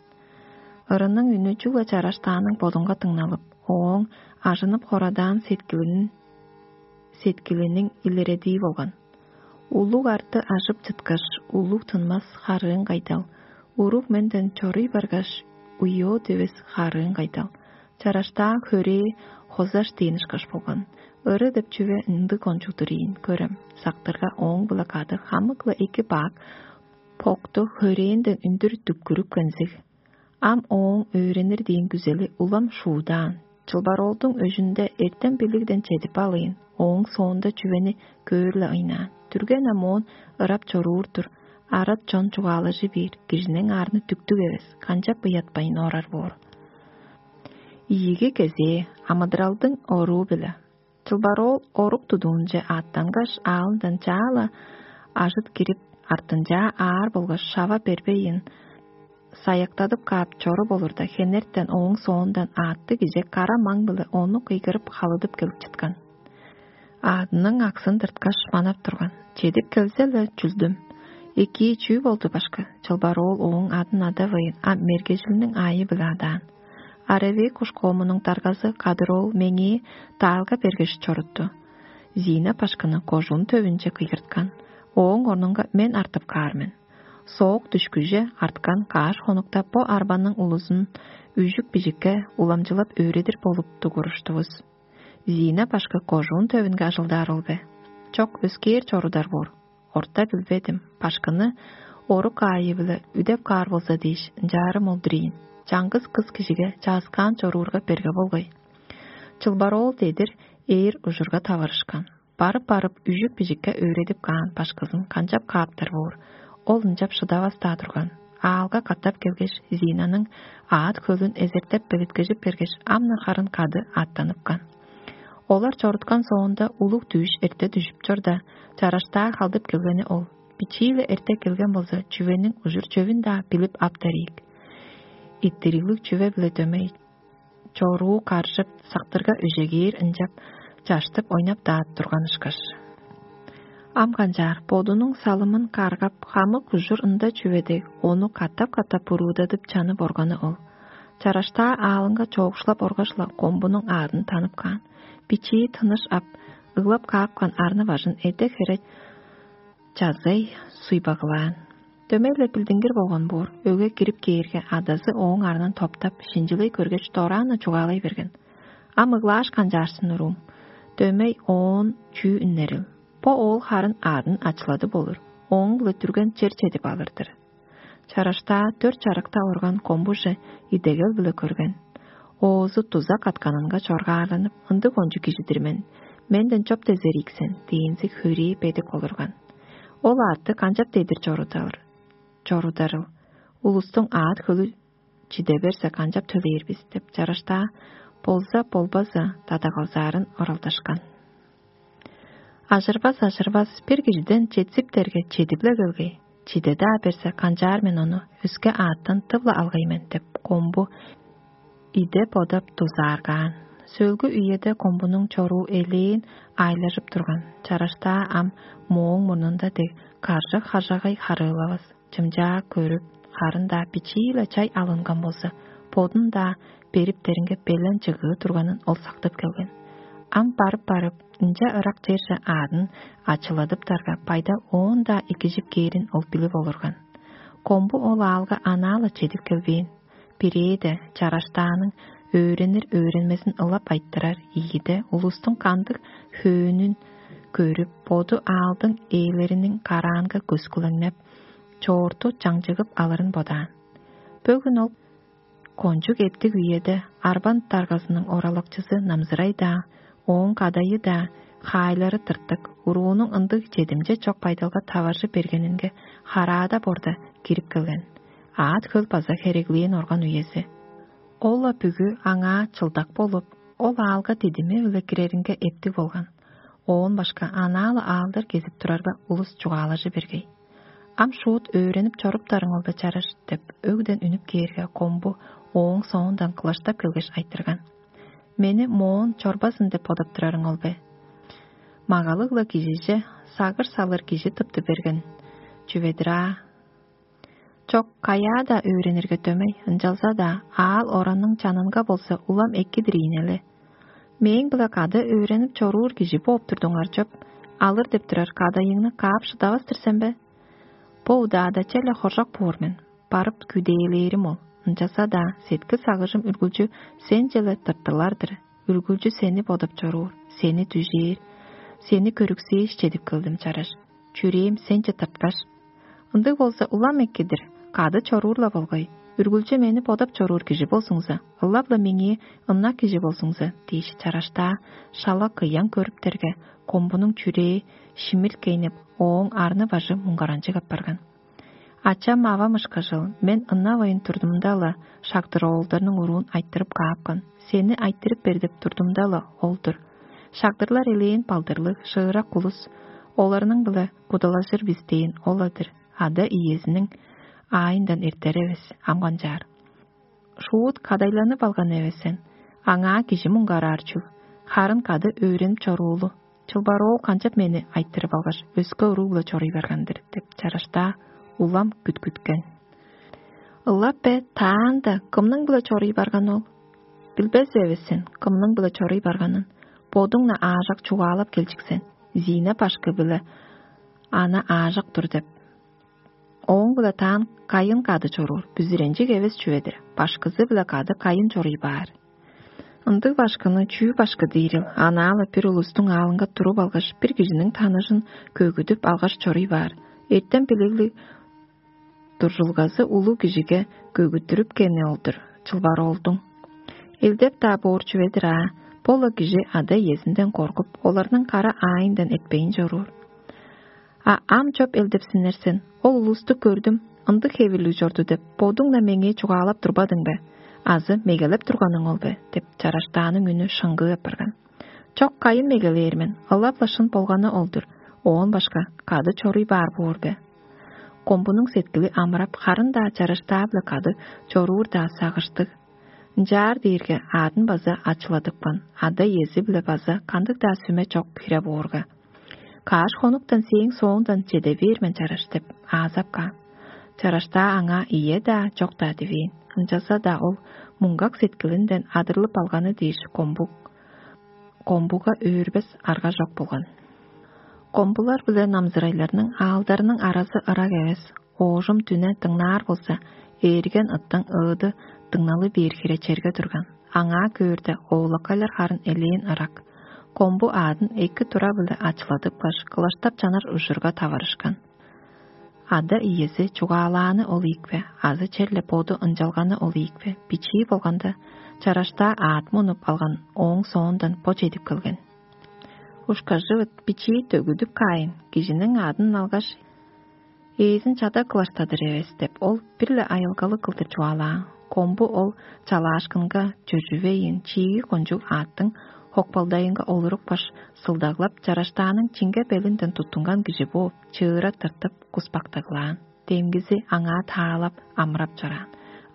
Ырының үнү чүгле чараштааның бодунга дыңналып, ооң ажынып хорадаан сеткилиниң, сеткилиниң илередии болган. Улуг арты ажып чыткаш, улуг тынмас харыын кайдал, уруг менден чоруй баргаш, уйоо девес харыын кайдал, чараштаа хөрээ хозаш дээн ышкаш болган. Ыры деп чүве ындыг кончуг-дур ийин, көрем, сактырга ооң-биле кады хамык-ла эки бак, покту хөрээнден үндүр дүккүрүп кензиг. Ам ооң өөренир дээн күзели улам шуудаан. Чылбароолдуң өжүнде эртем билигден чедип алыйн, ооң соонда чүвени көөр-ле ыйнаан. Түрген ам оон ырап чоруур-дур, арат чон чугаалажы бээр, кижиниң аарны дүктүг эвес, канчап ыятпайн орар боор. Ийиги кезээ амыдыралдың оруу-биле. Чылбар оол орук тудуунче аъттангаш, аалындан чаа-ла ажыт кирип, артынчаа аар болгаш шава бербейн, саяктадып каап чоруп олурда, хенертен ооң соондан аъттыг кижи кара маң-биле ону кыйгырып, халыдып келип чыткан. Аъдының аксын тырткаш, манап турган. Чедип келзе-ле, чүлдүм: «Экии, чүү болду, башкы?» Чылбар оол ооң адын адавайн, а мергежилиниң аайы-биле адаан. «Аравей кушкоомунуң даргазы кадыр ол меңээ даалга бергеш чорутту. Зина башкыны кожуун төвүнче кыйгырткан. Ооң орнунга мен артып каар мен». Соок дүшкүже арткан каш хонукта бо арбаның улузун үжүк-бижикке уламчылап өөредир болуп дугуруштувус. Зина башкы кожуун төвүнге ажылдаар ол бе? Чок, өскээр чорудар боор. Орта билбедим, башкыны орук аайы-биле үдеп каар болза дээш, ынчаарым ол-дур ийин. Чаңгыс кыс кижиге чааскаан чоруурга берге болгай. Чылбар оол дедир ээр ужурга таварышкан. Барып-барып, үжүк-бижикке өөредип каан башкызын канчап кааптар боор, ол ынчап шыдавас-даа турган. Аалга катап келгеш, Зинаның аът-хөлүн эзертеп белеткежип бергеш, ам-на харын кады аъттаныпкан. Олар чоруткан соонда, улуг дүъш эрте дүжүп чорда, чараштаа халдып келгени ол. Бичии-ле эрте келген болза, чүвениң ужур-чөвүн-даа билип аптар ийик. Иттириглиг чүве-биле дөмей чоруу каржып, сактырга өжегээр ынчап чаштып ойнап-даа турган ышкаш. Ам канчаар, бодунуң салымын каргап, хамык ужур ында чүве дег, ону катап-катап буруудадып чанып органы ол. Чараштаа аалынга чоокшулап оргаш-ла, комбунуң аадын танып каан. Бичии тыныш ап, ыглап каапкан арны-бажын эде-хере чазай суйбагылаан. Дөмей-ле билдингир болган боор, өгге кирип кээрге, адазы ооң арнын топтап, шинчилей көргеш, дораан-на чугаалай берген: «Ам ыглааш канчаарсын, уруум? Дөмей оон чүү үннерил? Бо оол харын аъдын ачылады болур, ооң-биле дүрген чер чедип алыр-дыр». Чараштаа дөрт чарыкта орган комбуже идегел-биле көрген. Оозу дуза катканынга чоргаарланып: «Ындыг кончуг кижи-дир мен, менден чоп дезер ийик сен» – дээнзиг хөрээ бедик олурган. Ол аътты канчап дедир чорудаар, чорударыл? Улустуң аът-хөлү чиде берзе, канчап төлээр бис деп, чараштаа болза-болбазы дадагалзаарын оралдашкан. «Ажырбас, ажырбас, бир кижиден четсиптерге, чедип-ле келгей. Чиде-даа берзе, канчаар мен ону, өске аъттан тып-ла алгай мен» – деп, комбу иде бодап дузааргаан. Сөөлгү үеде комбунуң чоруу элээн аайлажып турган. Чараштаа ам мооң мурнунда дег каржык-хажагай харыылавас, чымчаа көрүп, харын-даа бичии-ле чай алынган болза, бодун-даа бериптеринге белен чыгыы турганын ол сактып келген. Ам барып-барып, ынча ырак черже аадын ачыладыптарга, байда оон-даа экижип кээрин ол билип олурган. Комбу ол аалга анаа-ла чедип келбээн. Бирээде, чараштааның өөренир-өөренмезин ылап айтырар, ийиде, улустуң кандыг хөөнүн көрүп, боду аалдың ээлериниң караанга көскүлеңнеп, чоорту чаңчыгып алырын бодаан. Бөгүн ол кончуг эптиг үеде арбан даргазының оралакчызы Намзырай-даа, ооң кадайы-даа, хаайлары тыртык, уруунуң ындыг чедимче чок байдалга таваржы бергенинге хараада борда кирип келген. Аът-хөл база хереглээн орган үези. Ол-ла бүгү аңаа чылдак болуп, ол аалга дидими-биле киреринге эптиг болган. Оон башка анаа-ла аалдар кезип турарга, улус чугаалажы бергей. «Ам шуут өөренип чоруптарың ол бе, чараш?» – деп, өгден үнүп кээрге, комбу ооң соондан кылаштап келгеш айтырган: «Мени моон чорбазын деп бодап турарың ол бе? Магалыг-ла кижиже сагыш салыр кижи тыпты берген чүве-дир аа». «Чок, каяа-даа өөренирге дөмей, ынчалза-даа аал-оранның чанынга болза улам эки-дир ийин але. Мээң-биле кады өөренип чоруур кижи бооп турдуңар чоп, алыр деп турар кадайыңны каап шыдавас-тыр сен бе?» «Бо удаада черле хоржок боор мен, барып күдээлээрим ол. Ынчалза-даа сеткил-сагыжым үргүлчү сенче-ле тыртылар-дыр. Үргүлчү сени бодап чоруур, сени дүжээр, сени көрүксээш чедип келдим, чараш. Чүрээм сенче тырткаш». «Ындыг болза, улам эки-дир, кады чоруур-ла болгай. Үргүлчү мени бодап чоруур кижи болзуңза, ылап-ла меңээ ынак кижи болзуңза» – дээш, чараштаа шала кыян көрүптерге, комбунуң чүрээ шимирткейнип, ооң арны-бажы муңгаранчыг апарган. «Ачам-авам ышкажыл, мен ынавайн турдумда-ла, шагдыр-оолдарның уруун айтырып каапкан. Сени айтырып бер деп турдумда-ла, ол-дур. Шагдырлар элээн балдырлыг, шыырак улус, оларның-биле кудалажыр бис дээн ол-ла-дыр, ада-иезиниң аайындан эртер эвес, ам канчаар. Шуут кадайланып алган эвес сен, аңаа кижи муңгараар чүл, харын кады өөренип чоруулу. Чылбар оол канчап мени айтырып алгаш, өске уруг-биле чоруй барган-дыр деп чараштаа улам күткүткен. Ылап бе, таанда кымның-биле чоруй барган ол? Билбес эвес сен, кымның-биле чоруй барганын. Бодуң-на аажак чугаалап келчик сен, Зина башкы-биле ана аажак тур деп. Ооң-биле таан кайын кады чоруур, бүзүренчиг эвес чүве-дир, башкызы-биле кады кайын чоруй баар. Ындыг башкыны чүү башкы диирил, анаалы бир улустуң аалынга туруп алгаш, бир кижиниң таныжын көгүдүп алгаш чоруй баар. Эртем билиглиг дуржулгазы улуг кижиге көгүттүрүп кени ол-дур, чылбар оолдуң. Элдеп-даа боор чүве-дир аа, бо-ла кижи ада-иезинден коргуп, оларның кара аайындан этпейн чоруур. А ам чоп элдепсиннер сен, ол улусту көрдүм, ындыг хевирлиг чорду деп, бодуң-на меңээ чугаалап турбадың бе? Азы мегелеп турганың ол бе? Деп чараштааның үнү шыңгыы апарган. Чок, кайын мегелээр мен, ылап-ла шын болганы ол-дур, оон башка кады чоруй баар боор бе? Комбунуң сеткили амырап, харын-даа чараштаа-биле кады чоруур-даа сагыштыг. Ынчаар дээрге аадын база ачыладыпкан, ада-иези-биле база кандыг-даа сүме чок хире боорга. Кааш хонуктан сээң соондан чеде бээр мен чараш деп аазап каан. Чараштаа аңаа ийе-даа, чок-даа дивээн. Ынчалза-даа ол муңгак сеткилинден адырлып алганы дээш комбук, комбуга өөрбес арга чок болган. Комбулар биле намзырайларның аалдарының аразы ырак эвес, оожум дүне дыңнаар болза, ээрген ыттың ыыды дыңналы бээр хире черге турган. Аңаа көөрде, оолакайлар харын элээн ырак. Комбу аадын эки тура-биле ачыладыпкаш, кылаштап чанар ужурга таварышкан. Ада-иези чугаалааны ол ийикпе, азы черле боду ынчалганы ол ийикпе, бичии болганда, чараштаа аът мунуп алган ооң соондан бо чедип келген. Ушкажывыт бичии төгүдүп каайн, кижиниң аадын алгаш, ээзин чада кылаштадыр эвес деп, ол бир-ле айылгалыг кылдыр чугаалаан. Комбу ол чалаашкынга чөжүвейн, чииги кончуг аъттың хокпалдайынга олурупкаш, сылдаглап, чараштааның чиңге белинден туттунган кижи бооп, чыыра тыртып, куспактаглаан. Демгизи аңаа таалап, амырап чораан.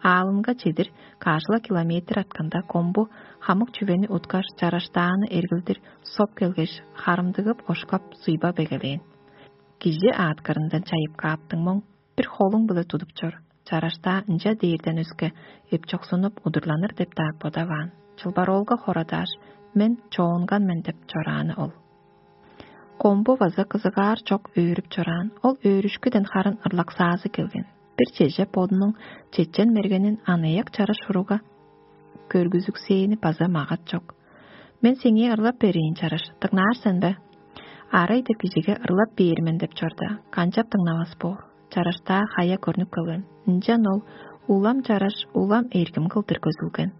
Аалынга чедир каш-ла километр артканда, комбу хамык чүвени уткаш, чараштааны эргилдир соп келгеш, харымдыгып, ошкап, суйбап эгелээн. Кижи аъткырындан чайып кааптың моң, бир холуң-биле тудуп чор. Чараштаа ынча дээрден өске эпчоксунуп удурланыр деп-даа бодаваан. Чылбароолга хорадааш, мен чоонган мен деп чорааны ол. Комбу база кызыгаар чок өөрүп чораан, ол өөрүшкүден харын ырлаксаазы келген. Бир чеже бодунуң чечен мергенин аныяк чараш уруга көргүзүксээни база магат чок. Мен сеңээ ырлап берейин, чараш, дыңнаар сен бе? Арай деп кижиге ырлап бээр мен деп чорда, канчап дыңнавас боор? Чараштаа хая көрнүп келген. Ынчан ол улам чараш, улам эргим кылдыр көзүлген.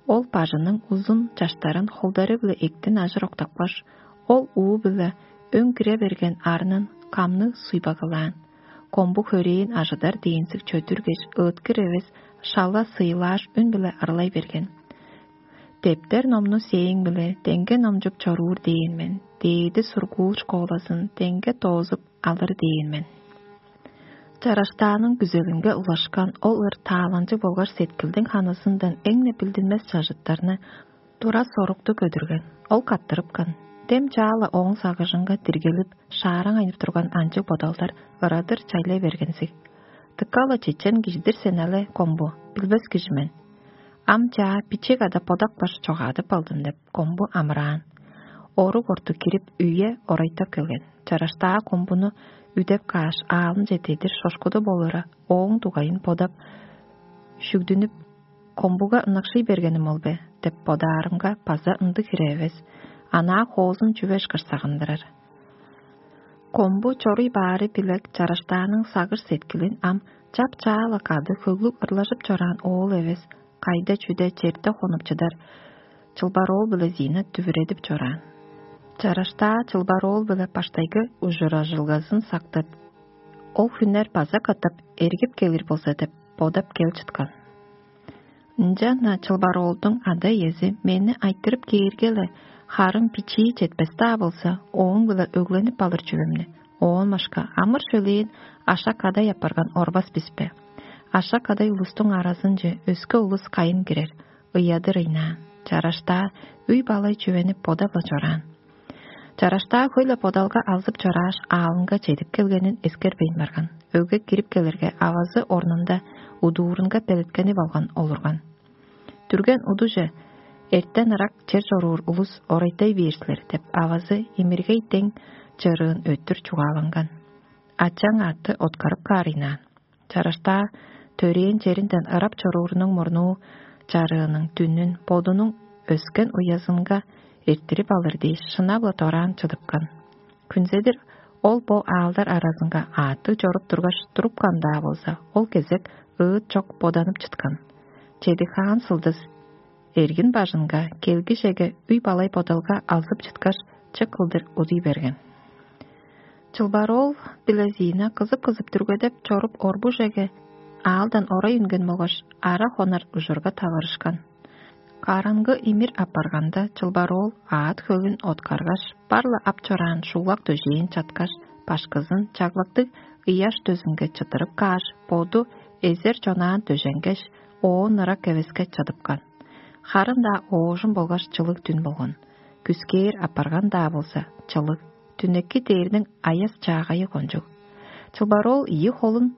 Ол бажының узун чаштарын холдары-биле эктин ажыр октапкаш, ол уу-биле өң кире берген арнын камныг суйбагалаан. Комбу хөрээн ажыдар дээнзиг чөдүргеш, ыыткыр эвес, шала сыйлааш үн-биле ырлай берген. Дептер номну сээң-биле деңге номчуп чоруур дээн мен, дээди сургуул школазын деңге доозуп алыр дээн мен. Чараштааның күзелинге улашкан ол ыр тааланчыг болгаш сеткилдиң ханызындан эң-не билдинмес чажыттарны тура сорукту көдүрген. Ол каттырыпкан. Дем чаала ооң сагыжынга диргелип, шаараңайнып турган анчыг бодалдар ырадыр чайлай бергензиг. Дыка-ла чечен кижидир сен але, комбу, билбес кижи мен. Ам чаа бичек ада бодак баш чогаадып алдым деп, комбу амыраан. Орук орту кирип, үе орайтап келген. Чараштаа комбуну үдеп кааш, аалынче дедир шошкуду болура, ооң дугайын бодап, шүгдүнүп, комбуга ынакшый бергеним ол бе деп бодаарымга, база ындыг хире эвес. Анаа хоозун чүве ышкаш сагындырар. Комбу чоруй баары билек чараштааның сагыш сеткилин ам чап-чаала кады хөглүг ырлажып чораан оол эвес, кайда-чүде черде хонуп чыдар чылбар оол биле Зина дүвүредип чораан. Чараштаа чылбар оол биле баштайгы ужуражылгазын сактып, ол хүннер база катап эргип келир болза деп бодап кел чыткан. Ынчан-на чылбар оолдуң ада-иези мени айтырып кээрге-ле, Харын бичии четпес-даа болза, ооң-биле өгленип алыр чүвемни, оон башка амыр-шөлээн ашак-кадай апарган орбас бис бе? Ашак-кадай улустуң аразынче өске улус кайын кирер, ыядыр ыйнаан, чараштаа, өй-балай чүвени бодап-ла чораан. Чараштаа хөй-ле бодалга алзып чорааш, аалынга чедип келгенин эскербейн барган. Өгге кирип келерге, авазы орнунда удуурунга белеткенип алган олурган. Дүрген удуже: «Эртен ырак чер чоруур улус орайтай бээр силер» — деп, авазы имиргей дең чырыын өттүр чугааланган. Ачаң аътты откарып каарыйнаан. Чараштаа төрээн черинден ырап чоруурунуң мурнуу чарыының дүнүн бодунуң өскен уязынга эрттирип алыр дээш, шынап-ла дораан чыдыпкан. Хүнзедир ол бо аалдар аразынга аъттыг чоруп тургаш, турупкан-даа болза, ол кезек ыыт чок боданып чыткан. Чеди-хаан сылдыс эргин бажынга келгижеге үй-балай бодалга алзып чыткаш, чык кылдыр удуй берген. Чылбар-оол биле Зина кызып-кызып дүргедеп чоруп орбужеге аалдан орай үнген болгаш, ара хонар ужурга таварышкан. Караңгы имир апарганда, чылбар-оол аът хөвүн откаргаш, бар-ла ап чораан шуулак дөжээн чаткаш, башкызын чаглактыг ыяш дөзүнге чыттырып кааш, боду эзер чонаан дөженгеш, оон ырак эвеске чыдыпкан. Харын-даа оожум болгаш чылыг дүн болган. Күскээр апарган-даа болза, чылыг, түнекки дээрниң аяс чаагайы кончуг. Чылбар-оол ийи холун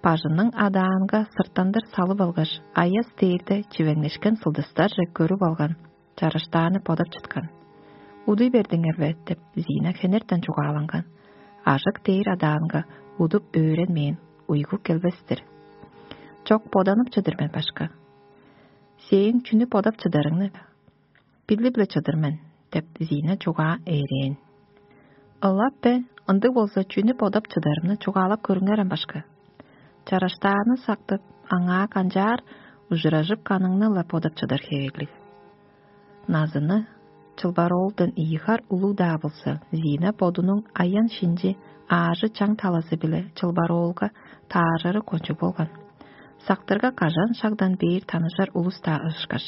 бажының адаанга сырттандыр салып алгаш, аяс дээрде чивеңнешкен сылдыстарже көрүп алган, чараштааны бодап чыткан. «Удуй бердиңер бе?» — деп, Зина хенертен чугааланган. «Ажык дээр адаанга удуп өөренмээн уйгу келбес-тир». «Чок, боданып чыдыр мен, башка». «Сээң чүнү бодап чыдарыңны билип-ле чыдыр мен» — деп, Зина чугаа ээрээн. «Ылап бе, ындыг болза, чүнү бодап чыдарымны чугаалап көрүңерем, башка». Чараштааны сактып, аңаа канчаар ужуражып каныңны-ла бодап чыдар хевирлиг. Назыны чылбар-оолдан ийи хар улуг-даа болза, Зина бодунуң аян-шинчи аажы-чаң талазы-биле чылбар-оолга тааржыры кончуг болган. Сактырга кажан шагдан бээр таныжар улус-даа ышкаш.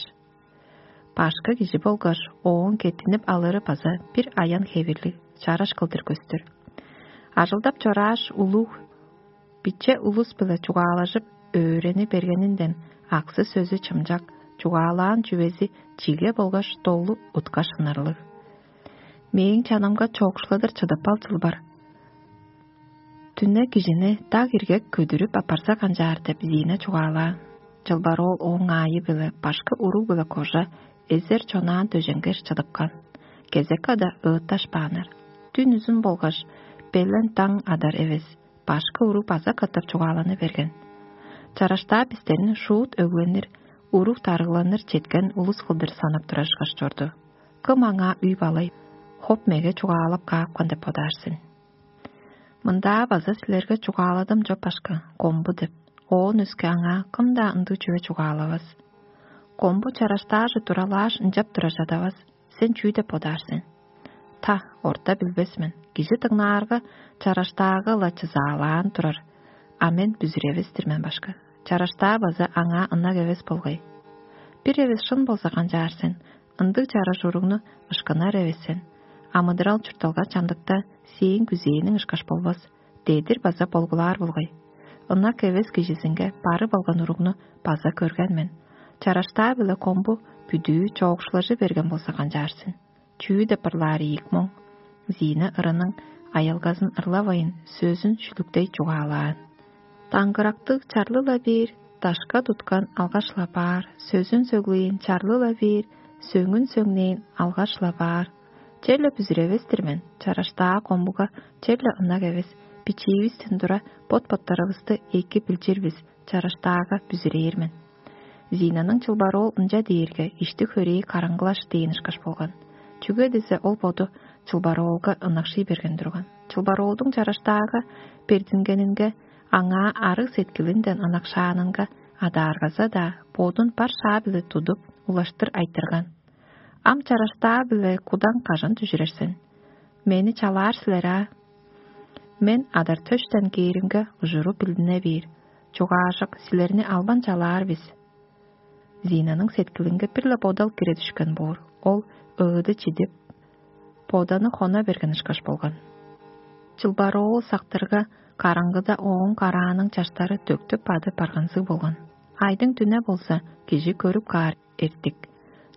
Башкы кижи болгаш, ооң кеттинип алыры база бир аян хевирлиг, чараш кылдыр көстүр. Ажылдап чорааш, улуг, биче улус-биле чугаалажып, өөрени бергенинден, аксы-сөзү чымчак, чугаалаан чүвези чиге болгаш долу уткаш ынарлыг. «Мээң чанымга чоокшуладыр чыдып ал, чылбар. Дүне кижини даг иргек көдүрүп апарза канчаар» — деп, Зина чугаалаан. Чылбар-оол ооң аайы-биле башкы уруг-биле кожа эзер чонаан дөженгеш чыдыпкан. Кезек када ыытташпааннар. Дүн үзүн болгаш белен даң адар эвес, башкы уруг база катап чугааланы берген. Чараштаа бистерни шуут өгленир, уруг дарыгланыр четкен улус кылдыр санап турар ышкаш чорду. Кым аңаа үй-балай, хоп-меге чугаалап каапкан деп бодаар сен? «Мындаа база силерге чугааладым чоп, башка, комбу» — деп. Оон өске аңаа кым-даа ындыг чүве чугаалавас. Комбу чараштааже туралааш, ынчап тура чадавас. Сен чүү деп бодаар сен? Та, орта билбес мен. Кижи дыңнаарга, чараштаага-ла чызаалаан турар. А мен бүзүревес-тир мен, башка. Чараштаа база аңаа ынак эвес болгай. Бир эвес шын болза канчаар сен? Ындыг чараш уругну ышкынар эвес сен. Амыдырал-чуртталга чамдыкта сээң күзээниң ышкаш болбас. Дедир база болгулаар болгай. Ынак эвес кижизинге барып алган уругну база көрген мен. Чараштаа-биле комбу бүдүү чоокшулажы берген болза канчаар сен? Чүү деп ырлаар ийик моң? Зина ырының аялгазын ырлавайн, сөзүн шүлүктей чугаалаан. Даңгырактыг чарлы-ла бээр, дашка туткан алгаш-ла баар, сөзүн сөглээн чарлы-ла бээр, сөңүн сөңнээн алгаш-ла баар. Черле бүзүревес-тир мен, чараштаа комбуга черле ынак эвес, бичиивистен тура бот-боттарывысты эки билчир бис, чараштаага бүзүрээр мен. Зинаның чылбар-оол ынча дээрге, ишти-хөрээй караңгылаш дээн ышкаш болган. Чүге дизе ол боду чылбар-оолга ынакшый берген турган. Чылбар-оолдуң чараштаага бердингенинге, аңаа арыг сеткилинден ынакшаанынга адааргаза-даа, бодун бар шаа-биле тудуп, улаштыр айтырган: «Ам чараштаа-биле кудаң кажан дүжүрер сен? Мени чалаар силер аа? Мен адар-төштен кээримге, ужуру билдине бээр. Чугаажок, силерни албан чалаар бис». Зинаның сеткилинге бир-ле бодал кире дүшкен боор. Ол ыыды чидип, боданы хона берген ышкаш болган. Чылбар оол сактырга, караңгыда ооң карааның чаштары төктүп бадып барганзыг болган. Айдың дүне болза, кижи көрүп каар эртик.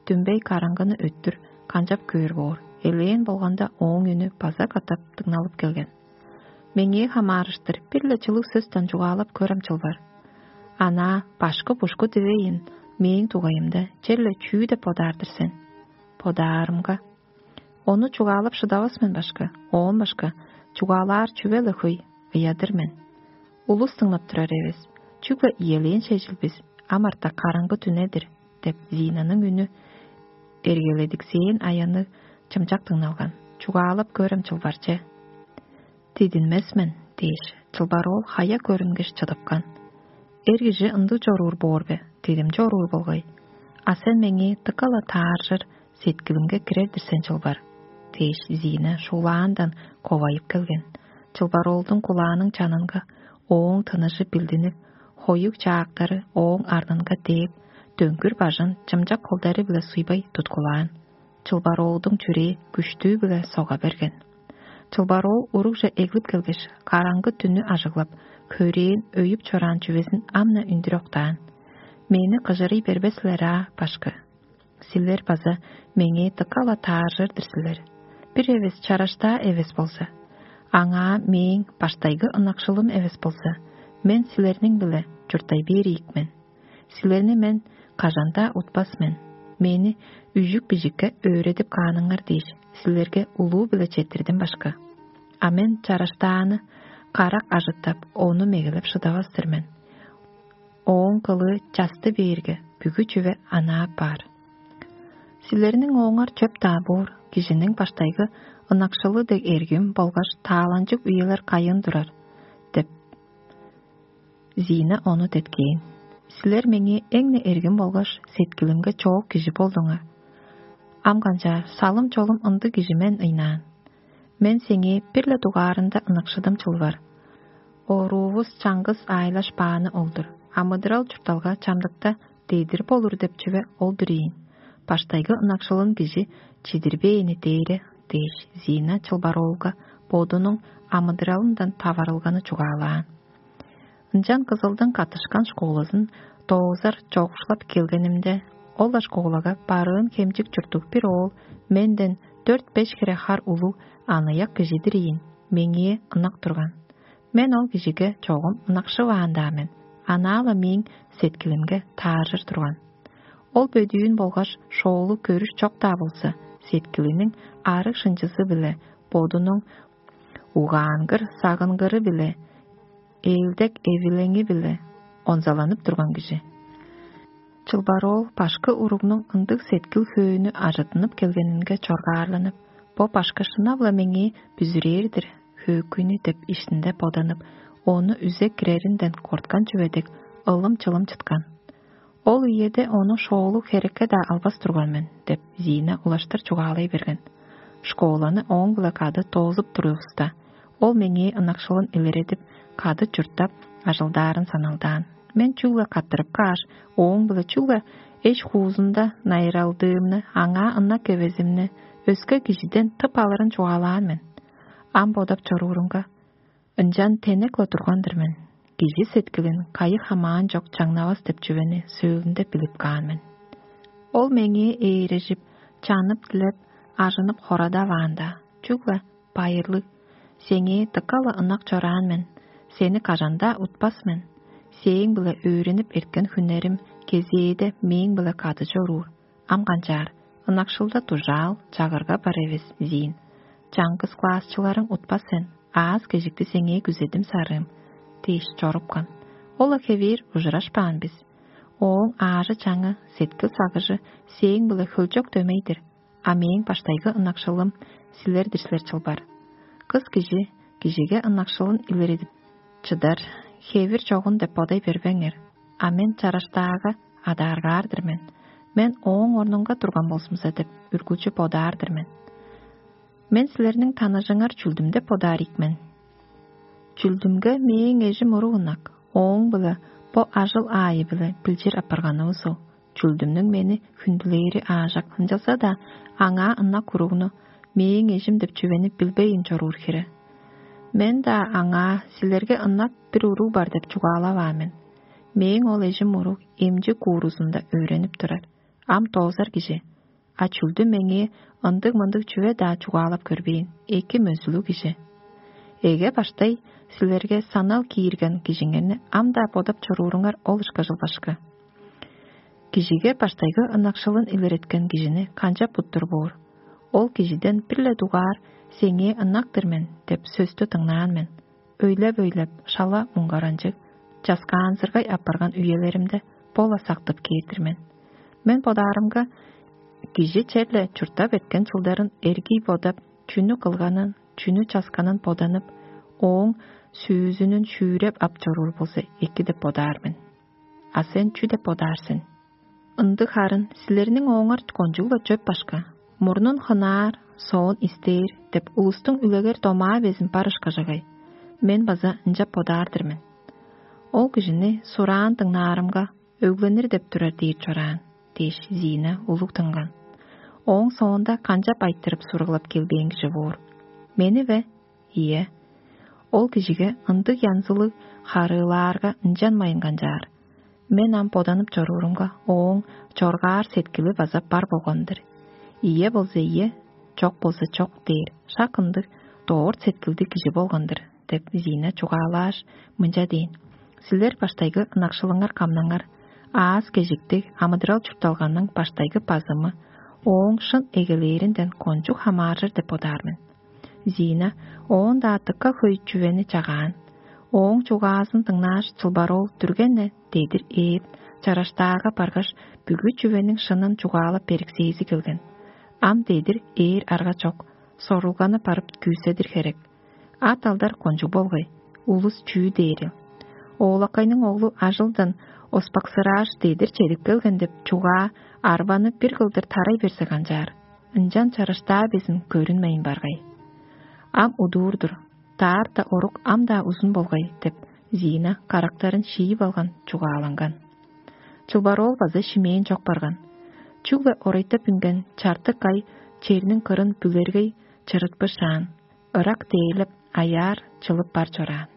Дүмбей караңгыны өттүр канчап көөр боор? Элээн болганда, ооң үнү база катап дыңналып келген. Меңээ хамаарыштыр бир-ле чылыг сөстен чугаалап көрем чылбар. Анаа башкы-бушку дивейн, мээң дугайымда черле чүү деп бодаар-дыр сен? Бодаарымга, ону чугаалап шыдавас мен башка, оон башка чугаалаар чүве-ле хөй, ыядыр мен. Улус дыңнап турар эвес, чүгле иелээн шежил бис, ам арта караңгы дүне-дир деп Зинаның үнү эргеледиксээн аянныг чымчак дыңналган. Чугаалап көрем чылбарче. Дидинмес мен дээш, чылбар ол хая көрүнгеш чыдыпкан. Эр кижи ындыг чоруур боор бе? Дидим чоруур болгай. А сен меңээ дыка-ла тааржыр сеткилимге кирер-дир сен чылбар дээш, Зина шуулаандан ковайып келген. Чылбар оолдуң кулааның чанынга ооң тыныжы билдинип, хоюг чаактары ооң арнынга дээп, дөңгүр бажын чымчак холдары-биле суйбай туткулаан. Чылбар оолдуң чүрээ күштүү-биле сога берген. Чылбар оол урукже эглип келгеш, караңгы дүннү ажыглап, хөрээн өйүп чораан чүвезин ам-на үндүр октаан. Мени кыжырый бербес силер аа, башкы. Силер база меңээ дыка-ла тааржыр-дыр силер. Бир эвес чараштаа эвес болза, аңаа мээң баштайгы ынакшылым эвес болза, мен силерниң-биле чурттай бээр ийик мен. Силерни мен кажан-даа утпас мен. Мени үжүк-бижикке өөредип кааныңар дээш, силерге улуу-биле четтирдим башка. А мен чараштааны карак ажыттап, ону мегелеп шыдавас-тыр мен. Ооң кылыы часты бээрге, бүгү чүве анаа баар. Силерниң ооңар чөп-даа боор, кижиниң баштайгы ынакшылы дег эргим болгаш тааланчыг үелер кайын турар деп, Зина ону деткээн. Силер меңээ эң-не эргим болгаш сеткилимге чоок кижи болдуңар. Ам канчаар, салым-чолум ындыг кижи мен ыйнаан. Мен сеңээ бир-ле дугаарында ынакшыдым чылбар. Оруувус чаңгыс аайлаш бааны ол-дур. Амыдырал чуртталга чамдыкта дедир болур деп чүве ол-дур ийин. Баштайгы ынакшылын кижи чидирбээни дээре дээш, Зина чылбар оолга бодунуң амыдыралындан таварылганы чугаалаан. Ынчан кызылдың каттышкан школазын доозар чогушлап келгенимде, ол-ла школага барыын хемчик чурттуг бир оол менден дөрт-беш хире хар улуг аныяк кижи-дир ийин, меңээ ынак турган. Мен ол кижиге чогум ынакшываан-даа мен, анаа-ла мээң сеткилимге тааржыр турган. Ол бөдүүн болгаш шоолу көрүш чок-даа болза, сеткилиниң арыг шынчызы-биле бодунуң угаангыр сагынгыры-биле ээлдек эвилеңи-биле онзаланып турган кижи. Чылбар ол башкы уругнуң ындыг сеткил-хөөнү ажыттынып келгенинге чоргаарланып, бо башкы шынап-ла меңээ бүзүрээр-дир хөөкүйнү деп иштинде боданып, ону үзе киреринден корткан чүве дег, ылым-чылым чыткан. Ол үеде ону шоолуг херекке-даа албас турган мен деп, Зина улаштыр чугаалай берген. Школаны ооң-биле кады доозуп турувуста, ол меңээ ынакшылын илередип, кады чурттап, ажылдаарын саналдаан. Мен чүгле каттырып кааш, ооң-биле чүгле эш-хуузунда найыралдыымны, аңаа ынак эвезимни өске кижиден тып алырын чугаалаан мен. Ам бодап чоруурумга, ынчан тенек-ла турган-дыр мен. Кижи сеткилин кайы хамаан чок чаңнавас деп чүвени сөөлүнде билип каан мен. Ол меңээ ээрежип, чанып-дилеп, ажынып хорадаваан-даа, чүгле: «Байырлыг, сеңээ дыка-ла ынак чораан мен, сени кажан-даа утпас мен. Сээң-биле өөренип эрткен хүннерим кезээде мээң-биле кады чоруур. Ам канчаар, ынакшылда дужаал, чагырга бар эвес, Зин. Чаңгыс классчыларың утпас сен, аас-кежикти сеңээ күзедим, сарыым» – дээш чорупкан. Ол-ла хевээр ужурашпаан бис. Ооң аажы-чаңы, сеткил-сагыжы сээң-биле хөлчок дөмей-дир, а мээң баштайгы ынакшылым силер-дир силер чылбар. Кыс кижи кижиге ынакшылын илередип чыдар хевир чогун деп бодай бербеңер. А мен чараштаага адааргаар-дыр мен. Мен ооң орнунга турган болзумза деп үргүлчү бодаар-дыр мен. Мен силерниң таныжыңар чүлдүм деп бодаар ийик мен. Чүлдүмге мээң эжим уруг ынак, ооң-биле бо ажыл аайы-биле билчир апарганывыс ол. Чүлдүмнүң мени хүндүлээри аажак, ынчалза-даа аңаа ынак уругну мээң эжим деп чүвени билбейн чоруур хире. Мен-даа аңаа силерге ынак бир уруг бар деп чугаалаваан мен. Мээң ол эжим уруг эмчи куурузунда өөренип турар, ам доозар кижи, а чүлдү меңээ ындыг-мындыг чүве-даа чугаалап көрбээн, эки мөзүлүг кижи. Эге баштай силерге санал киирген кижиңерни ам-даа бодап чорууруңар ол ышкажыл башкы. Кижиге баштайгы ынакшылын илереткен кижини канчап буттур боор? Ол кижиден бир-ле дугаар «Сеңээ ынак-тыр мен» деп сөстү дыңнаан мен. Өйлеп-өйлеп, шала муңгаранчыг, часкаанзыргай апарган үелеримде бо-ла сактып кээр-дир мен. Мен бодаарымга, кижи черле чурттап эрткен чылдарын эргий бодап, чүнү кылганын, чүнү часканын боданып, ооң сүүзүнүн шүүреп ап чоруур болза эки деп бодаар мен. А сен чү деп бодаар сен? Ындыг харын силерниң ооңар кончуг-ла чөп башка. Мурнун хынаар, соон истээр деп улустуң үлегер домаа безин бар ышкажагай. Мен база ынчап бодаар-дыр мен. Ол кижини сураан дыңнаарымга, өгленир деп турар дээр чораан дээш, Зина улуг тынган. Ооң соонда канчап айтырып сургылап келбээн кижи боор? Мени бе? Ийе. Ол кижиге ындыг янзылыг харыылаарга ынчанмайн канчаар. Мен ам боданып чоруурумга, ооң чоргаар сеткили база бар болган-дыр. Ийе болза ийе, чок болза чок дээр, шак ындыг дорт сеткилдиг кижи болган-дыр деп Зина чугаалааш, мынча дээн: «Силер баштайгы ынакшылыңар камнаңар, аас-кежиктиг амыдырал чуртталганның баштайгы базымы ооң шын эгелээринден кончуг хамааржыр деп бодаар мен». Зина оон-даа дыка хөй чүвени чагаан. Ооң чугаазын дыңнааш, чылбар ол дүрген-не дедир ээп, чараштаага баргаш, бүгү чүвениң шынын чугаалап бериксээзи келген. Ам дедир ээр арга чок, сорулганы барып күүседир херек. Ат алдар кончуг болгай, улус чүү дээрил? Оолакайның оглу ажылдан оспаксырааш, дедир чедип келген деп чугаа арбаны бир кылдыр тарай берзе канчаар? Ынчан чараштаа безин көрүнмейн баргай. Ам удуур-дур, даарта орук ам-даа узун болгай деп, Зина карактарын шиип алган чугааланган. Чылбар ол база шимээн чок барган. Чүгле орайтап үнген чартык ай черниң кырын бүлергей чырытпышаан, ырак дээрлеп, аяар чылып бар чораан.